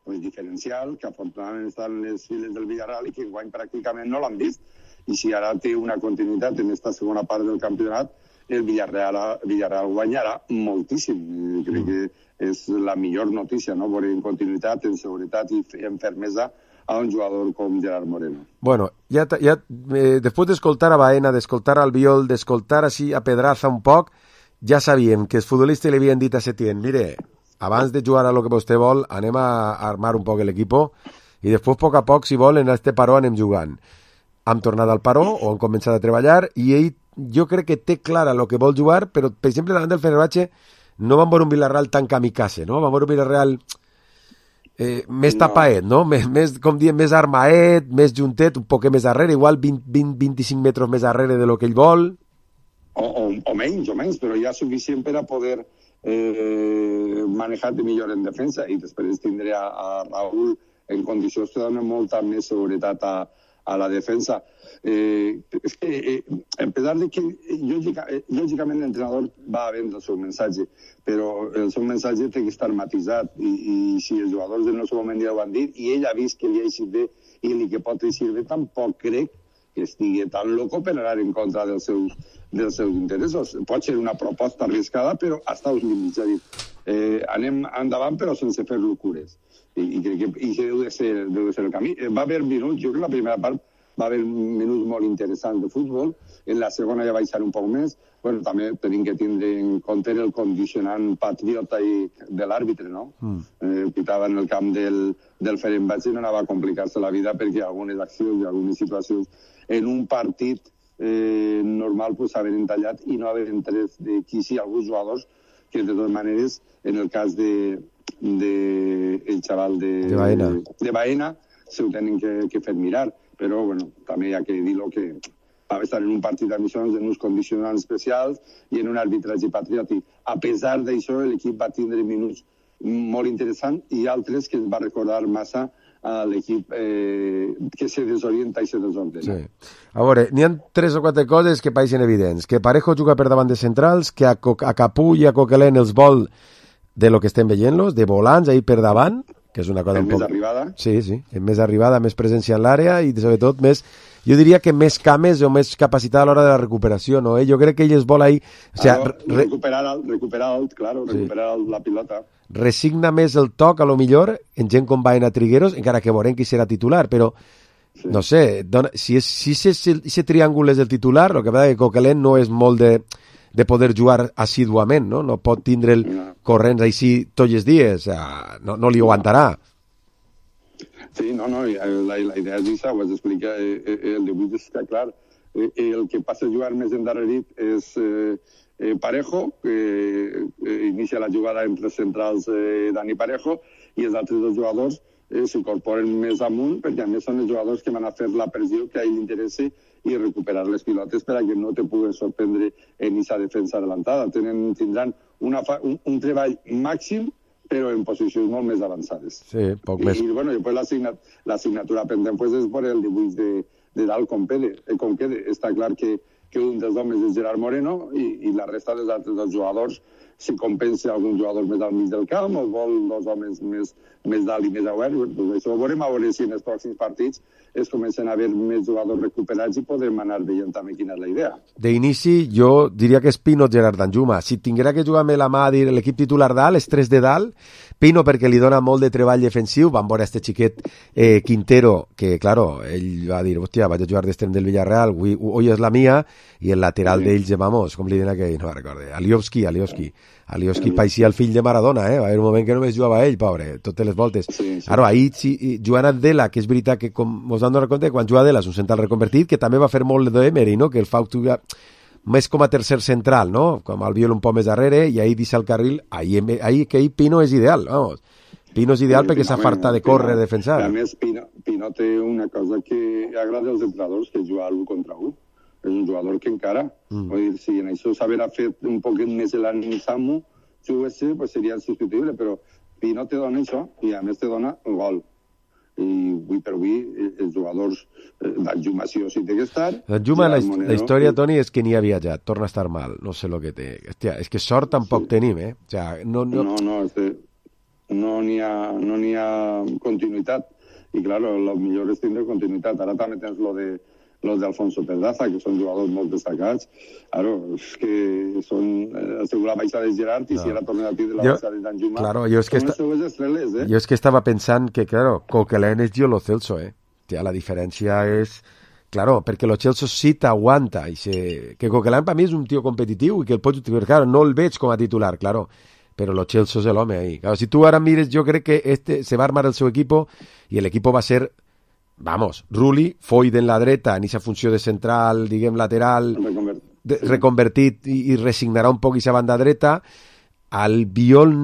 diferencial que afortunadament està en les files del Villarreal i que enguany pràcticament no l'han vist. I si ara té una continuïtat en aquesta segona part del campionat, el Villarreal guanyarà moltíssim. Crec que és la millor notícia, no? Veure en continuïtat, en seguretat i en fermesa a un jugador com Gerard Moreno. Bueno, después de escoltar a Baena, de escoltar a Albiol, de escoltar así a Pedraza un poc, ja sabíem que els futbolistes li havien dit a Setién, mire, abans de jugar a lo que vostè vol, anem a armar un poc l'equipo i després, a poc, si vol, en este paró anem jugant. Hem tornat al paró o hem començat a treballar i ell, jo crec que té clara el que vol jugar, però, per exemple, davant del Fenerbahce no van veure un Villarreal tan kamikaze, no? Van veure un Villarreal més tapaet, no? Més, com diem, més armaet, més juntet, un poc més darrere, igual 20-25 metres més darrere de lo que ell vol. O menys, però ja suficient per a poder manejar-te millor en defensa i després tindré a Raúl en condicions de donar molta més seguretat a la defensa. És que, a pesar de que lògicament l'entrenador va a vendre el seu missatge, però el seu missatge té que estar matisat i si els jugadors en el seu moment ja ho han dit i ell ha vist que li ha eixit bé i li que pot eixir bé, tampoc crec que estigui tan loco per anar en contra dels seus interessos. Pot ser una proposta arriscada, però hasta els límits. És a dir, anem endavant però sense fer locures. I crec que deu de ser el camí. Va haver minuts, jo crec que la primera part va haver minuts molt interessants de futbol, en la segona ja baixar un poc més. Bueno, també tenim que tindre en compte el condicionant patriota de l'àrbitre, no? Pitava en el camp del Fenerbahce i no anava a complicar-se la vida perquè algunes accions i algunes situacions en un partit normal pues, haver entallat i no haver entret d'aquí sí alguns jugadors que de totes maneres, en el cas el xaval de Baena, se ho tenen que fer mirar, però bueno, també hi ha que dir-ho que va estar en un partit d'admissions en uns condicionants especials i en un arbitratge patriòtic. A pesar d'això, l'equip va tindre minuts molt interessants i altres que ens va recordar massa a l'equip que se desorienta i se desordena. Sí. A veure, n'hi ha 3 o 4 coses que pareixen evidents. Que Parejo juga per davant de centrals, que a Capú i a Coquelin els vol de lo que estem veient-los, de volants ahí per davant, que és una cosa un poc... Més arribada. Sí, en més arribada, més presència en l'àrea i sobretot més... Jo diria que més cames o més capacitat a l'hora de la recuperació, no? Jo crec que ell es vol ahí... O sea, recuperar la pilota. Resigna més el toc, a lo millor, en gent com Baena Trigueros, encara que veurem qui serà titular, però, no sé, si ese triàngul és el titular, el que passa que Coquelin no és molt de poder jugar assíduament, no? No pot tindre el corrents així tots els dies, no li aguantarà. Sí, no, la idea és això, ho has d'explicar, el debut està clar. El que passa a jugar més endarrerit és Parejo, que inicia la jugada entre centrals Dani Parejo, i els altres 2 jugadors s'incorporen més amunt, perquè a més són els jugadors que van a fer la pressió que a ell li interessa i recuperar les pilotes per a que no te puguen sorprendre en aquesta defensa adelantada. Tindran un treball màxim però en posicions molt més avançades. Sí, poc més. I bueno, després l'assignatura pendent pues, és per el dibuix de dalt com quede. Està clar que un dels homes és Gerard Moreno i la resta dels altres dels jugadors, si compensa algun jugador més al mig del camp o vol 2 homes més dalt i més obert, doncs això ho veurem a veure si en els pròxims partits es comencen a haver més jugadors recuperats i podrem anar veient també quina és la idea. D'inici, jo diria que és Pino Gerard Danjuma. Si tinguera que jugar amb la mà a dir l'equip titular dalt, els 3 de dalt, Pino perquè li dona molt de treball defensiu, van veure este xiquet Quintero, que, claro, ell va dir, hòstia, vaig a jugar d'extrem del Villarreal, hoy és la mía, i el lateral d'ells, vamos, com li diuen aquell, no recorde, Alioski paeixia el fill de Maradona, va haver un moment que només jugava ell, pobre, totes les voltes. Ara, ahir, jugant a Dela, que és veritat que, com us vam donar compte, quan juga Dela és un central reconvertit, que també va fer molt d'Emery, no?, que el fa més com a tercer central, no?, com el viol un poc més darrere, i ahir deixa el carril, ahir Pino és ideal, vamos. Pino és ideal perquè s'afarta de córrer, de defensar. A més, Pino té una cosa que agrada als entrenadors, que és jugar l'1 contra 1. És un jugador que encara, vull dir, si en això s'haverà fet un poquet més l'Anni Samu, pues seria insubstituïble, però Pino te dona això i a més te dona el gol. I avui per avui els jugadors Danjuma sí o sí té que estar. Danjuma, la història, Toni, és que ni ha viatjat, torna a estar mal, no sé el que té. Hòstia, és que sort tampoc tenim, O sea, no n'hi ha continuïtat. I, claro, el millor és tindre continuïtat. Ara també tens los de Alfonso Pedraza, que són jugadors molt destacats. Claro, és que són la baixa de Gerard i si era tornat a tindre la baixa de Danjuma. Claro, jo és que estava pensant que, claro, Coquelin és Lo Celso, La diferència és... Claro, perquè Lo Celso sí t'aguanta. Que Coquelin per mi és un tio competitiu i que el pots utilitzar. Claro, no el veig com a titular, claro, però Lo Celso és l'home ahí. Claro, si tu ara mires, jo crec que se va armar el seu equipo i l'equipo va ser... Vamos, Rulli, Foyt en la dreta, en aquesta funció de central, diguem, lateral, reconvertit i resignarà un poc aquesta banda dreta. Albiol,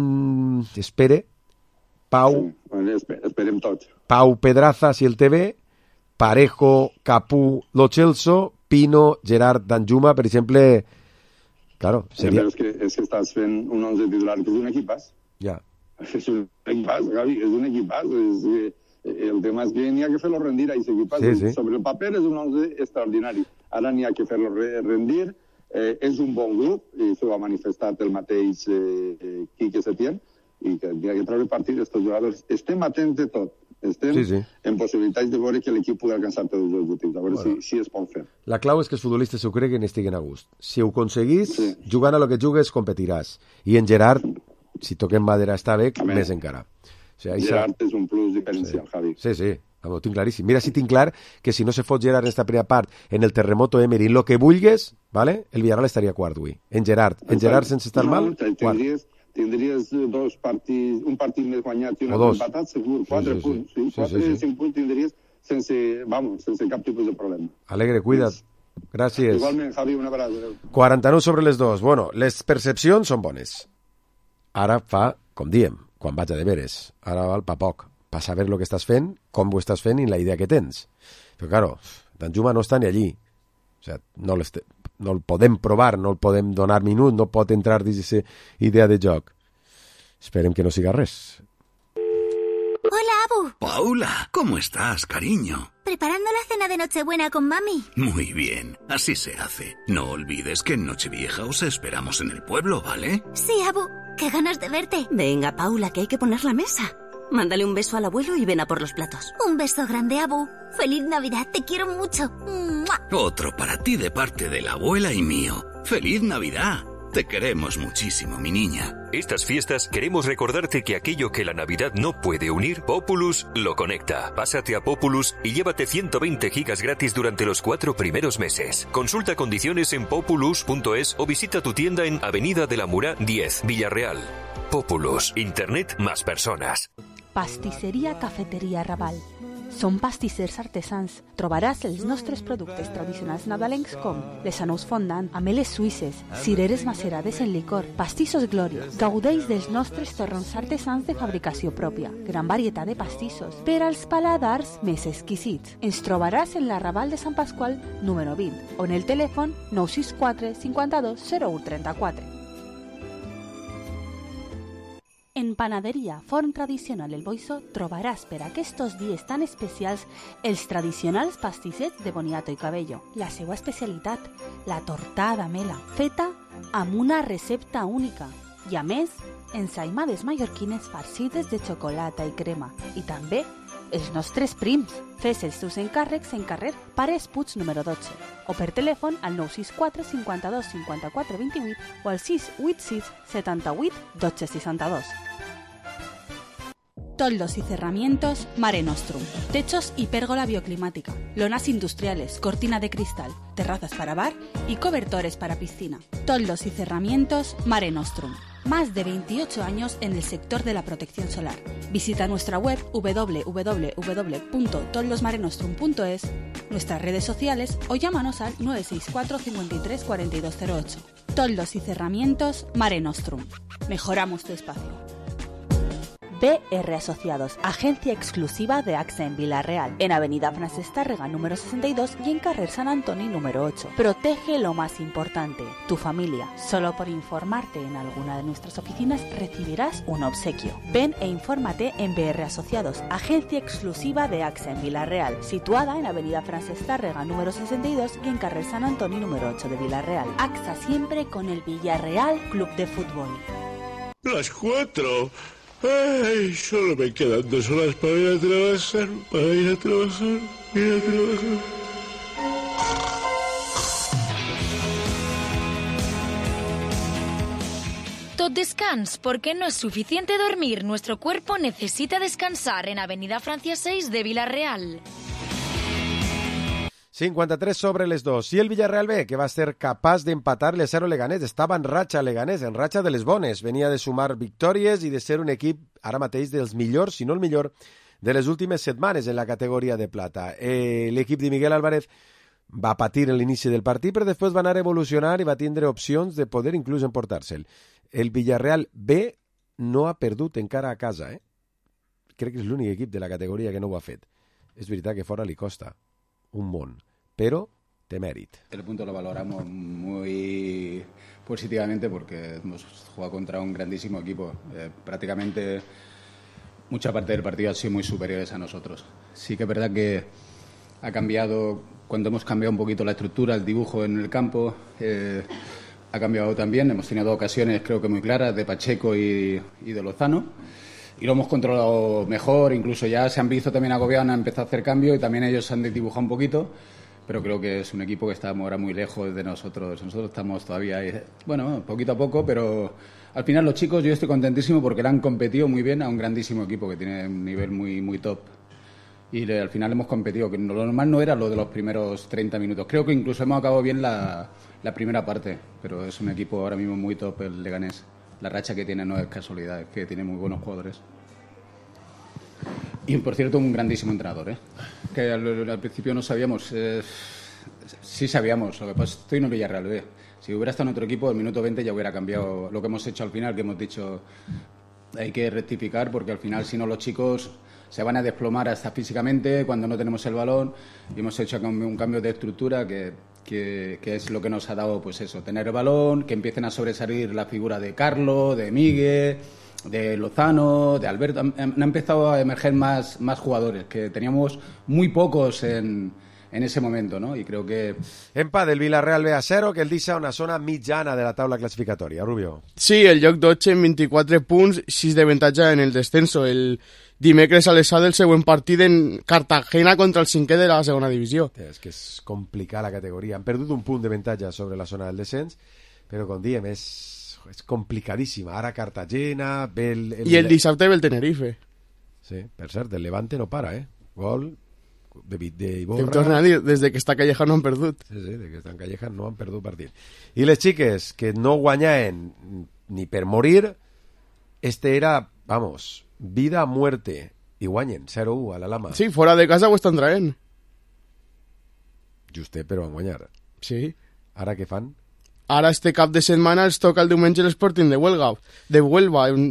Pau... Esperem tots. Pau Pedraza, si el té bé, Parejo, Capú, Lo Celso, Pino, Gerard Danjuma, per exemple... Claro, seria... Però és que estàs fent un 11 titular que és un equipàs. Ja. És un equipàs, Gavi, és un equipàs, el tema és que n'hi ha que fer-lo rendir a aquest equip. Sí. Sobre el paper és un 11 extraordinari. Ara n'hi ha que fer-lo rendir. És un bon grup, i això ho ha manifestat el mateix Quique Setién, i que n'hi ha que treure partit d'estos jugadors. Estem atents de tot. Estem en possibilitats de veure que l'equip pugui alcançar tots els objectius, a veure si es pot fer. La clau és que els futbolistes s'ho creguen i estiguen a gust. Si ho aconseguís, jugant a lo que jugues, competiràs. I en Gerard, si toquem madera està bé, més encara. O sea, Gerard és un plus diferencial, Javi. Sí, ho tinc claríssim. Mira, si tinc clar que si no se fot Gerard en esta primera part, en el terremoto Emery, lo que vulgues, ¿vale? El Villarreal estaria quart avui. En Gerard sense estar mal, quart. Tindries un partit més guanyat i un altre empatat, segur, 4 punts. 4 o 5 punts tindries sense cap tipus de problema. Alegre, cuida't. Gràcies. Igualment, Javi, una abraçada. 49 sobre les 2. Bueno, les percepcions són bones. Ara fa, com diem, quan vaig a deberes. Ara val pa poc. Pa saber lo que estàs fent, com ho estàs fent i la idea que tens. Però, claro, Danjuma no està ni allí. O sea, no el podem provar, no el podem donar minut, no pot entrar dins aquesta idea de joc. Esperem que no siga res. Hola, Abu. Paula, ¿cómo estás, cariño? Preparando la cena de Nochebuena con mami. Muy bien, así se hace. No olvides que en Nochevieja os esperamos en el pueblo, ¿vale? Sí, Abu. Qué ganas de verte. Venga, Paula, que hay que poner la mesa. Mándale un beso al abuelo y ven a por los platos. Un beso grande, Abu. Feliz Navidad, te quiero mucho. ¡Mua! Otro para ti de parte de la abuela y mío. ¡Feliz Navidad! Te queremos muchísimo, mi niña. Estas fiestas queremos recordarte que aquello que la Navidad no puede unir, Populus lo conecta. Pásate a Populus y llévate 120 gigas gratis durante los 4 primeros meses. Consulta condiciones en populus.es o visita tu tienda en Avenida de la Murá 10, Villarreal. Populus, Internet más personas. Pastisseria Cafeteria Raval. Són pastissers artesans. Trobaràs els nostres productes tradicionals nadalencs com les anous fondant, ameles suïsses, cireres macerades en licor, pastissos Glòria. Gaudeix dels nostres torrons artesans de fabricació pròpia. Gran varietat de pastissos per als paladars més exquisits. Ens trobaràs en la Raval de Sant Pasqual número 20 o en el telèfon 964 52 01 34. En Panaderia Forn Tradicional El Boixó trobaràs per aquests dies tan especials els tradicionals pastissets de boniato i cabello. La seva especialitat, la tortada mela, feta amb una recepta única. I a més, ensaïmades mallorquines farcides de xocolata i crema. I també els nostres prims. Fes els teus encàrrecs en carrer Pares Puig número 12 o per telèfon al 964 52 54 28 o al 686 78 12 62. Toldos y cerramientos Mare Nostrum. Techos y pérgola bioclimática. Lonas industriales, cortina de cristal, terrazas para bar y cobertores para piscina. Toldos y cerramientos Mare Nostrum. Más de 28 años en el sector de la protección solar. Visita nuestra web www.toldosmarenostrum.es, nuestras redes sociales o llámanos al 964 53 4208. Toldos y cerramientos Mare Nostrum. Mejoramos tu espacio. BR Asociados, agencia exclusiva de AXA en Villarreal, en Avenida Francesc Tàrrega número 62 y en Carrer Sant Antoni número 8. Protege lo más importante, tu familia. Solo por informarte en alguna de nuestras oficinas recibirás un obsequio. Ven e infórmate en BR Asociados, agencia exclusiva de AXA en Villarreal, situada en Avenida Francesc Tàrrega número 62 y en Carrer Sant Antoni número 8 de Villarreal. AXA siempre con el Villarreal Club de Fútbol. Las 4. Ay, solo me quedan 2 horas para ir a trabajar, Tot descans, porque no es suficiente dormir. Nuestro cuerpo necesita descansar en Avenida Francia 6 de Villarreal. 53 sobre les 2. I el Villarreal B, que va ser capaç d'empatar-li a 0 Leganés. Estava en ratxa Leganés, en ratxa de les bones. Venia de sumar victòries i de ser un equip ara mateix dels millors, si no el millor, de les últimes setmanes en la categoria de plata. L'equip de Miguel Álvarez va patir en l'inici del partit, però després va anar a evolucionar i va tindre opcions de poder inclús emportar-se'l. El Villarreal B no ha perdut encara a casa. Crec que és l'únic equip de la categoria que no ho ha fet. És veritat que fora li costa un món, pero de mérito. El punto lo valoramos muy positivamente porque hemos jugado contra un grandísimo equipo. Prácticamente mucha parte del partido ha sido muy superiores a nosotros. Sí que es verdad que ha cambiado, cuando hemos cambiado un poquito la estructura, el dibujo en el campo, ha cambiado también. Hemos tenido 2 ocasiones creo que muy claras de Pacheco y de Lozano. Y lo hemos controlado mejor, incluso ya se han visto también agobiados, han empezado a hacer cambios y también ellos han dibujado un poquito, pero creo que es un equipo que está ahora muy lejos de nosotros. Nosotros estamos todavía ahí, bueno, poquito a poco, pero al final los chicos yo estoy contentísimo porque le han competido muy bien a un grandísimo equipo que tiene un nivel muy top. Y al final hemos competido, que lo normal no era lo de los primeros 30 minutos. Creo que incluso hemos acabado bien la primera parte, pero es un equipo ahora mismo muy top el Leganés. La racha que tiene no es casualidad, es que tiene muy buenos jugadores. Y, por cierto, un grandísimo entrenador, que al principio no sabíamos. sí sabíamos, lo que pasa es que estoy en un Villarreal B. Si hubiera estado en otro equipo, el minuto 20 ya hubiera cambiado lo que hemos hecho al final, que hemos dicho hay que rectificar porque al final si no los chicos se van a desplomar hasta físicamente cuando no tenemos el balón, y hemos hecho un cambio de estructura que es lo que nos ha dado, pues eso, tener el balón, que empiecen a sobresalir la figura de Carlos, de Miguel, de Lozano, de Alberto. Han empezado a emerger más jugadores, que teníamos muy pocos en ese momento, no? I creo que... Empat del Villarreal B a 0, que el deixa una zona mitjana de la taula classificatòria. Rubio. Sí, el lloc 12 en 24 punts, 6 d'avantatge en el descenso. El dimecres a les 7 del següent partit en Cartagena contra el 5è de la segona divisió. És que és complicar la categoria. Han perdut un punt d'avantatge sobre la zona del descens, però com diem, és complicadíssima. Ara Cartagena... I el dissabte ve el Tenerife. Sí, per cert, el Levante no para, Gol de Iborra. Em torna a dir, des que està Calleja no han perdut. Sí, des que estan Calleja no han perdut partit. I les xiques, que no guanyaven ni per morir, era, vamos, vida a muerte, i guanyen 0-1 a la Lama. Sí, fora de casa ho estan traient. Justet, però van guanyar. Sí. Ara què fan? Ara este cap de setmana els toca el diumenge l'Sporting de Huelva,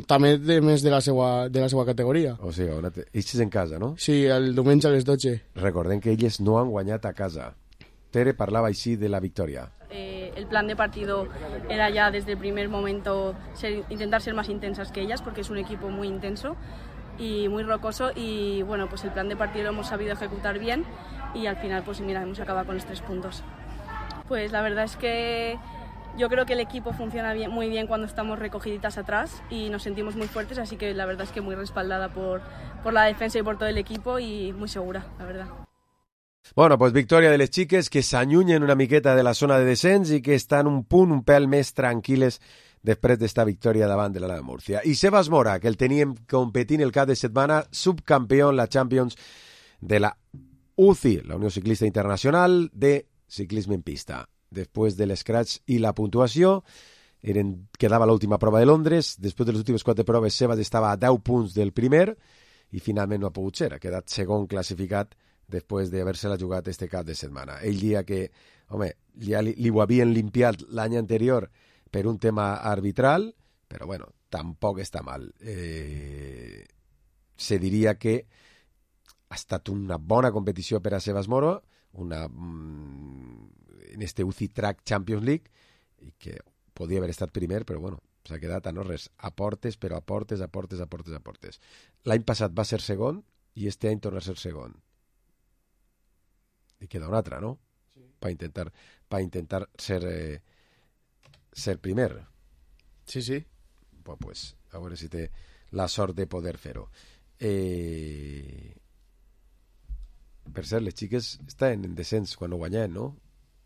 també més de la seva categoria. O sigui, ells en casa, no? Sí, el diumenge a les 12. Recordem que elles no han guanyat a casa. Tere parlava així de la victòria. El plan de partido era ya desde el primer momento intentar ser más intensas que ellas, porque es un equipo muy intenso y muy rocoso, y bueno, pues el plan de partido lo hemos sabido ejecutar bien y al final pues mira, hemos acabado con los 3 puntos. Pues la verdad es que yo creo que el equipo funciona muy bien cuando estamos recogiditas atrás y nos sentimos muy fuertes, así que la verdad es que muy respaldada por la defensa y por todo el equipo y muy segura, la verdad. Bueno, pues victòria de les xiques que s'allunyen una miqueta de la zona de descens i que estan un pèl més tranquil·les després d'esta victòria davant de la Múrcia. I Sebas Mora, que el teníem competint el cap de setmana, subcampió en la Champions de la UCI, la Unió Ciclista Internacional de Ciclisme en Pista. Després de l'escratch i la puntuació, quedava l'última prova de Londres. Després de les últimes 4 proves, Sebas estava a 10 punts del primer i finalment no ha pogut ser. Ha quedat segon classificat després d'haver-se-la jugat este cap de setmana. Ell dia que, home, ja li ho havien limpiat l'any anterior per un tema arbitral, però bueno, tampoc està mal. Se diria que ha estat una bona competició per a Sebas Moro, en este UCI Track Champions League, i que podia haver estat primer, però bueno, s'ha quedat a no res, a portes. L'any passat va ser segon i este any torna a ser segon. I queda un altre, no? Sí. Per intentar ser primer. Sí, sí. Pues a veure si té la sort de poder fer-ho. Per cert, les xiques estaven en descens quan ho guanyaven, no?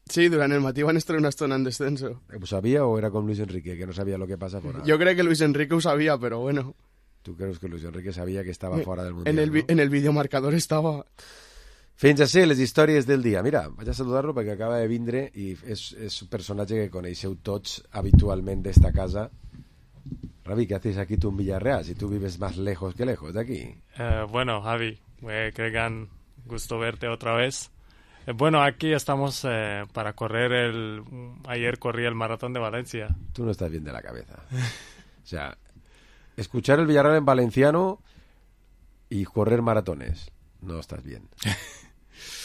Sí, durant el matí van estar una estona en descenso. ¿Ho sabia o era com Luis Enrique, que no sabia lo que passa fora? Jo crec que Luis Enrique ho sabia, però bueno. ¿Tú crees que Luis Enrique sabia que estava fora del Mundial? En el videomarcador estava... Fins així les històries del dia. Mira, vaig a saludar-lo perquè acaba de vindre i és un personatge que coneixeu tots habitualment d'esta casa. Ravi, ¿qué haces aquí tú en Villarreal? Si tú vives más lejos que lejos de aquí. Bueno, Javi, creo que un gusto verte otra vez. Bueno, aquí estamos para correr ayer corrí el maratón de Valencia. Tú no estás bien de la cabeza. O sea, escuchar el Villarreal en valenciano y correr maratones. No estás bien.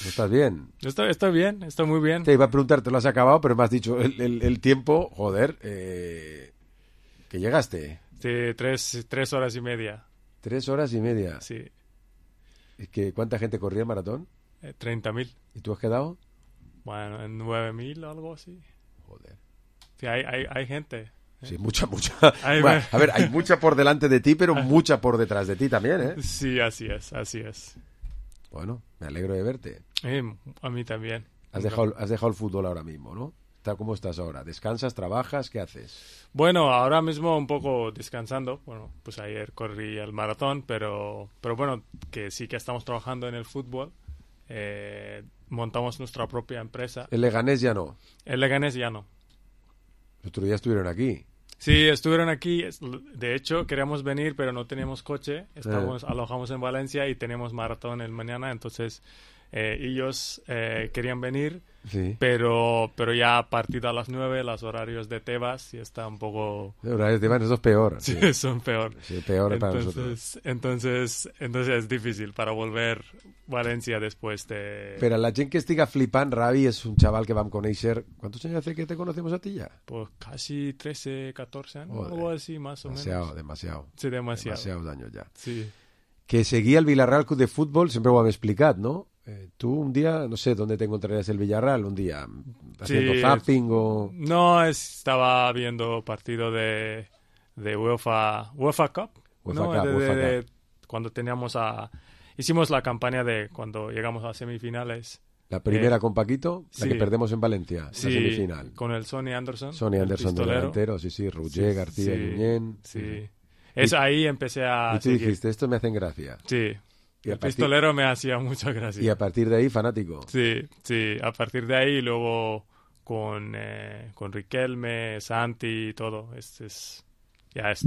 ¿No estás bien? Estoy bien, estoy muy bien. Te iba a preguntar, te lo has acabado, pero me has dicho el tiempo, joder, que llegaste. Sí, 3 horas y media. 3 horas y media. Sí. ¿Y cuánta gente corría el maratón? 30.000. ¿Y tú has quedado? Bueno, en 9.000 o algo así. Joder. Sí, hay gente. Sí, mucha. Bueno, a ver, hay mucha por delante de ti, pero mucha por detrás de ti también, ¿eh? Sí, así es. Bueno, me alegro de verte. A mí también. Has dejado el fútbol ahora mismo, ¿no? ¿Cómo estás ahora? ¿Descansas, trabajas? ¿Qué haces? Bueno, ahora mismo un poco descansando. Bueno, pues ayer corrí el maratón, pero bueno, que sí que estamos trabajando en el fútbol. Montamos nuestra propia empresa. ¿El Leganés ya no? El Leganés ya no. El otro día estuvieron aquí. Sí, estuvieron aquí. De hecho, queríamos venir, pero no teníamos coche. Alojamos en Valencia y tenemos maratón el mañana. Entonces, ellos querían venir, sí. pero ya partido a las 9, los horarios de Tebas, y está un poco... Los horarios de Tebas, eso es peor. Sí, son peor. Sí, peor para nosotros. Entonces es difícil para volver Valencia después de... Pero la gent que estiga flipant, Ravi es un chaval que vam conèixer... ¿Cuántos años hace que te conocemos a ti ya? Pues casi 13, 14 años, algo así, más o menos. Demasiado. Sí, demasiado. Demasiados años ya. Sí. Que seguía el Villarreal Club de Fútbol, siempre lo han explicado, ¿no? Tú un día, no sé, ¿dónde te encontrarías el Villarreal? Un día, haciendo zapping o... No, estaba viendo partido de UEFA Cup. Cuando teníamos hicimos la campaña de cuando llegamos a semifinales. La primera con Paquito, la que perdemos en Valencia, la semifinal. Con el Sonny Anderson. Sonny Anderson de delantero, sí, Roger, García, Guillén. Sí. Ahí empecé a... Y tú dijiste, estos me hacen gracia. Sí. El pistolero me hacía mucha gracia. Y a partir de ahí, fanático. Sí. A partir de ahí, luego con Riquelme, Santi y todo.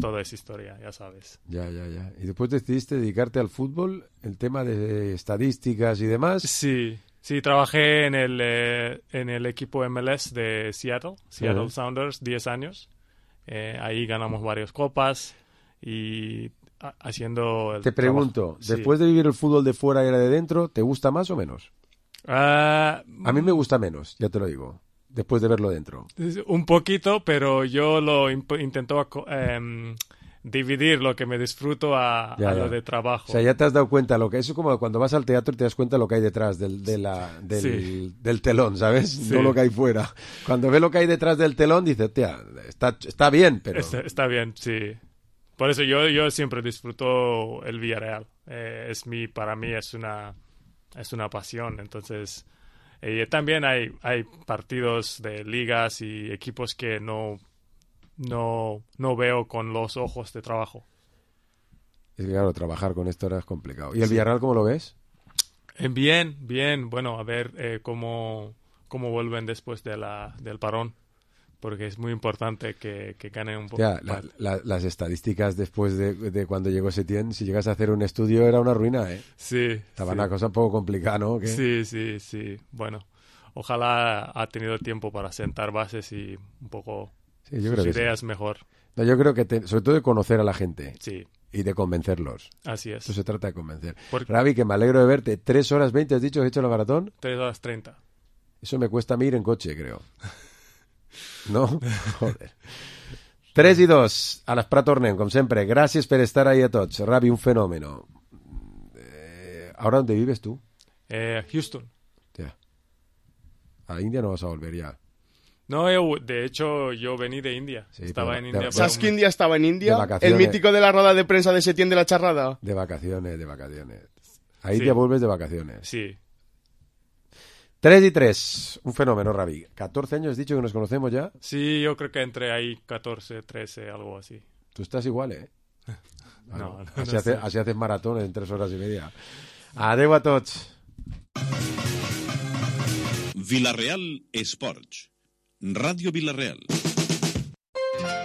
Todo es historia, ya sabes. Ya. Y después decidiste dedicarte al fútbol, el tema de estadísticas y demás. Sí, trabajé en el equipo MLS de Seattle Sounders, 10 años. Ahí ganamos varias copas y... haciendo Te pregunto, después de vivir el fútbol de fuera y era de dentro, ¿te gusta más o menos? A mí me gusta menos, ya te lo digo, después de verlo dentro. Un poquito, pero yo lo intento dividir lo que me disfruto a lo de trabajo. O sea, ya te has dado cuenta lo que eso es como cuando vas al teatro y te das cuenta lo que hay detrás del telón, ¿sabes? Sí. No lo que hay fuera. Cuando ves lo que hay detrás del telón dices, tía, está bien, pero... Está bien, sí. Por eso yo siempre disfruto el Villarreal. Para mí es una pasión. Entonces, también hay partidos de ligas y equipos que no veo con los ojos de trabajo. Es que claro, trabajar con esto era complicado. ¿Y el Villarreal cómo lo ves? Bien. Bueno, a ver cómo vuelven después del parón. Porque es muy importante que ganen un poco. Las estadísticas después de cuando llegó Setién, si llegas a hacer un estudio era una ruina, ¿eh? Sí. Estaba una cosa un poco complicada, ¿no? ¿Qué? Sí. Bueno, ojalá ha tenido tiempo para sentar bases y un poco sus ideas mejor. No, yo creo que sobre todo de conocer a la gente. Sí. Y de convencerlos. Así es. Esto se trata de convencer. Ravi, que me alegro de verte. 3 horas 20, ¿has dicho que has hecho la maratón? 3 horas 30. Eso me cuesta a mí ir en coche, creo. No? Joder. 3 i 2. A l'Esprat tornem, com sempre. Gràcies per estar ahí a tots. Ravi, un fenómeno. ¿Ahora dónde vives tú? Houston. Tía. A la India no vas a volver ya. No, de hecho, yo vení de India. Sí, estaba en India. ¿Sabes que India estaba en India? De vacaciones. El mítico de la rueda de prensa de Setién de la charrada. De vacaciones. A India vuelves de vacaciones. Sí. 3 y 3. Un fenómeno, Ravi. 14 años, has dicho que nos conocemos ya. Sí, yo creo que entre ahí 14, 13, algo así. Tú estás igual, ¿eh? No así haces maratones en 3 horas y media. Adeu a tots. Villarreal Esports. Ràdio Villarreal.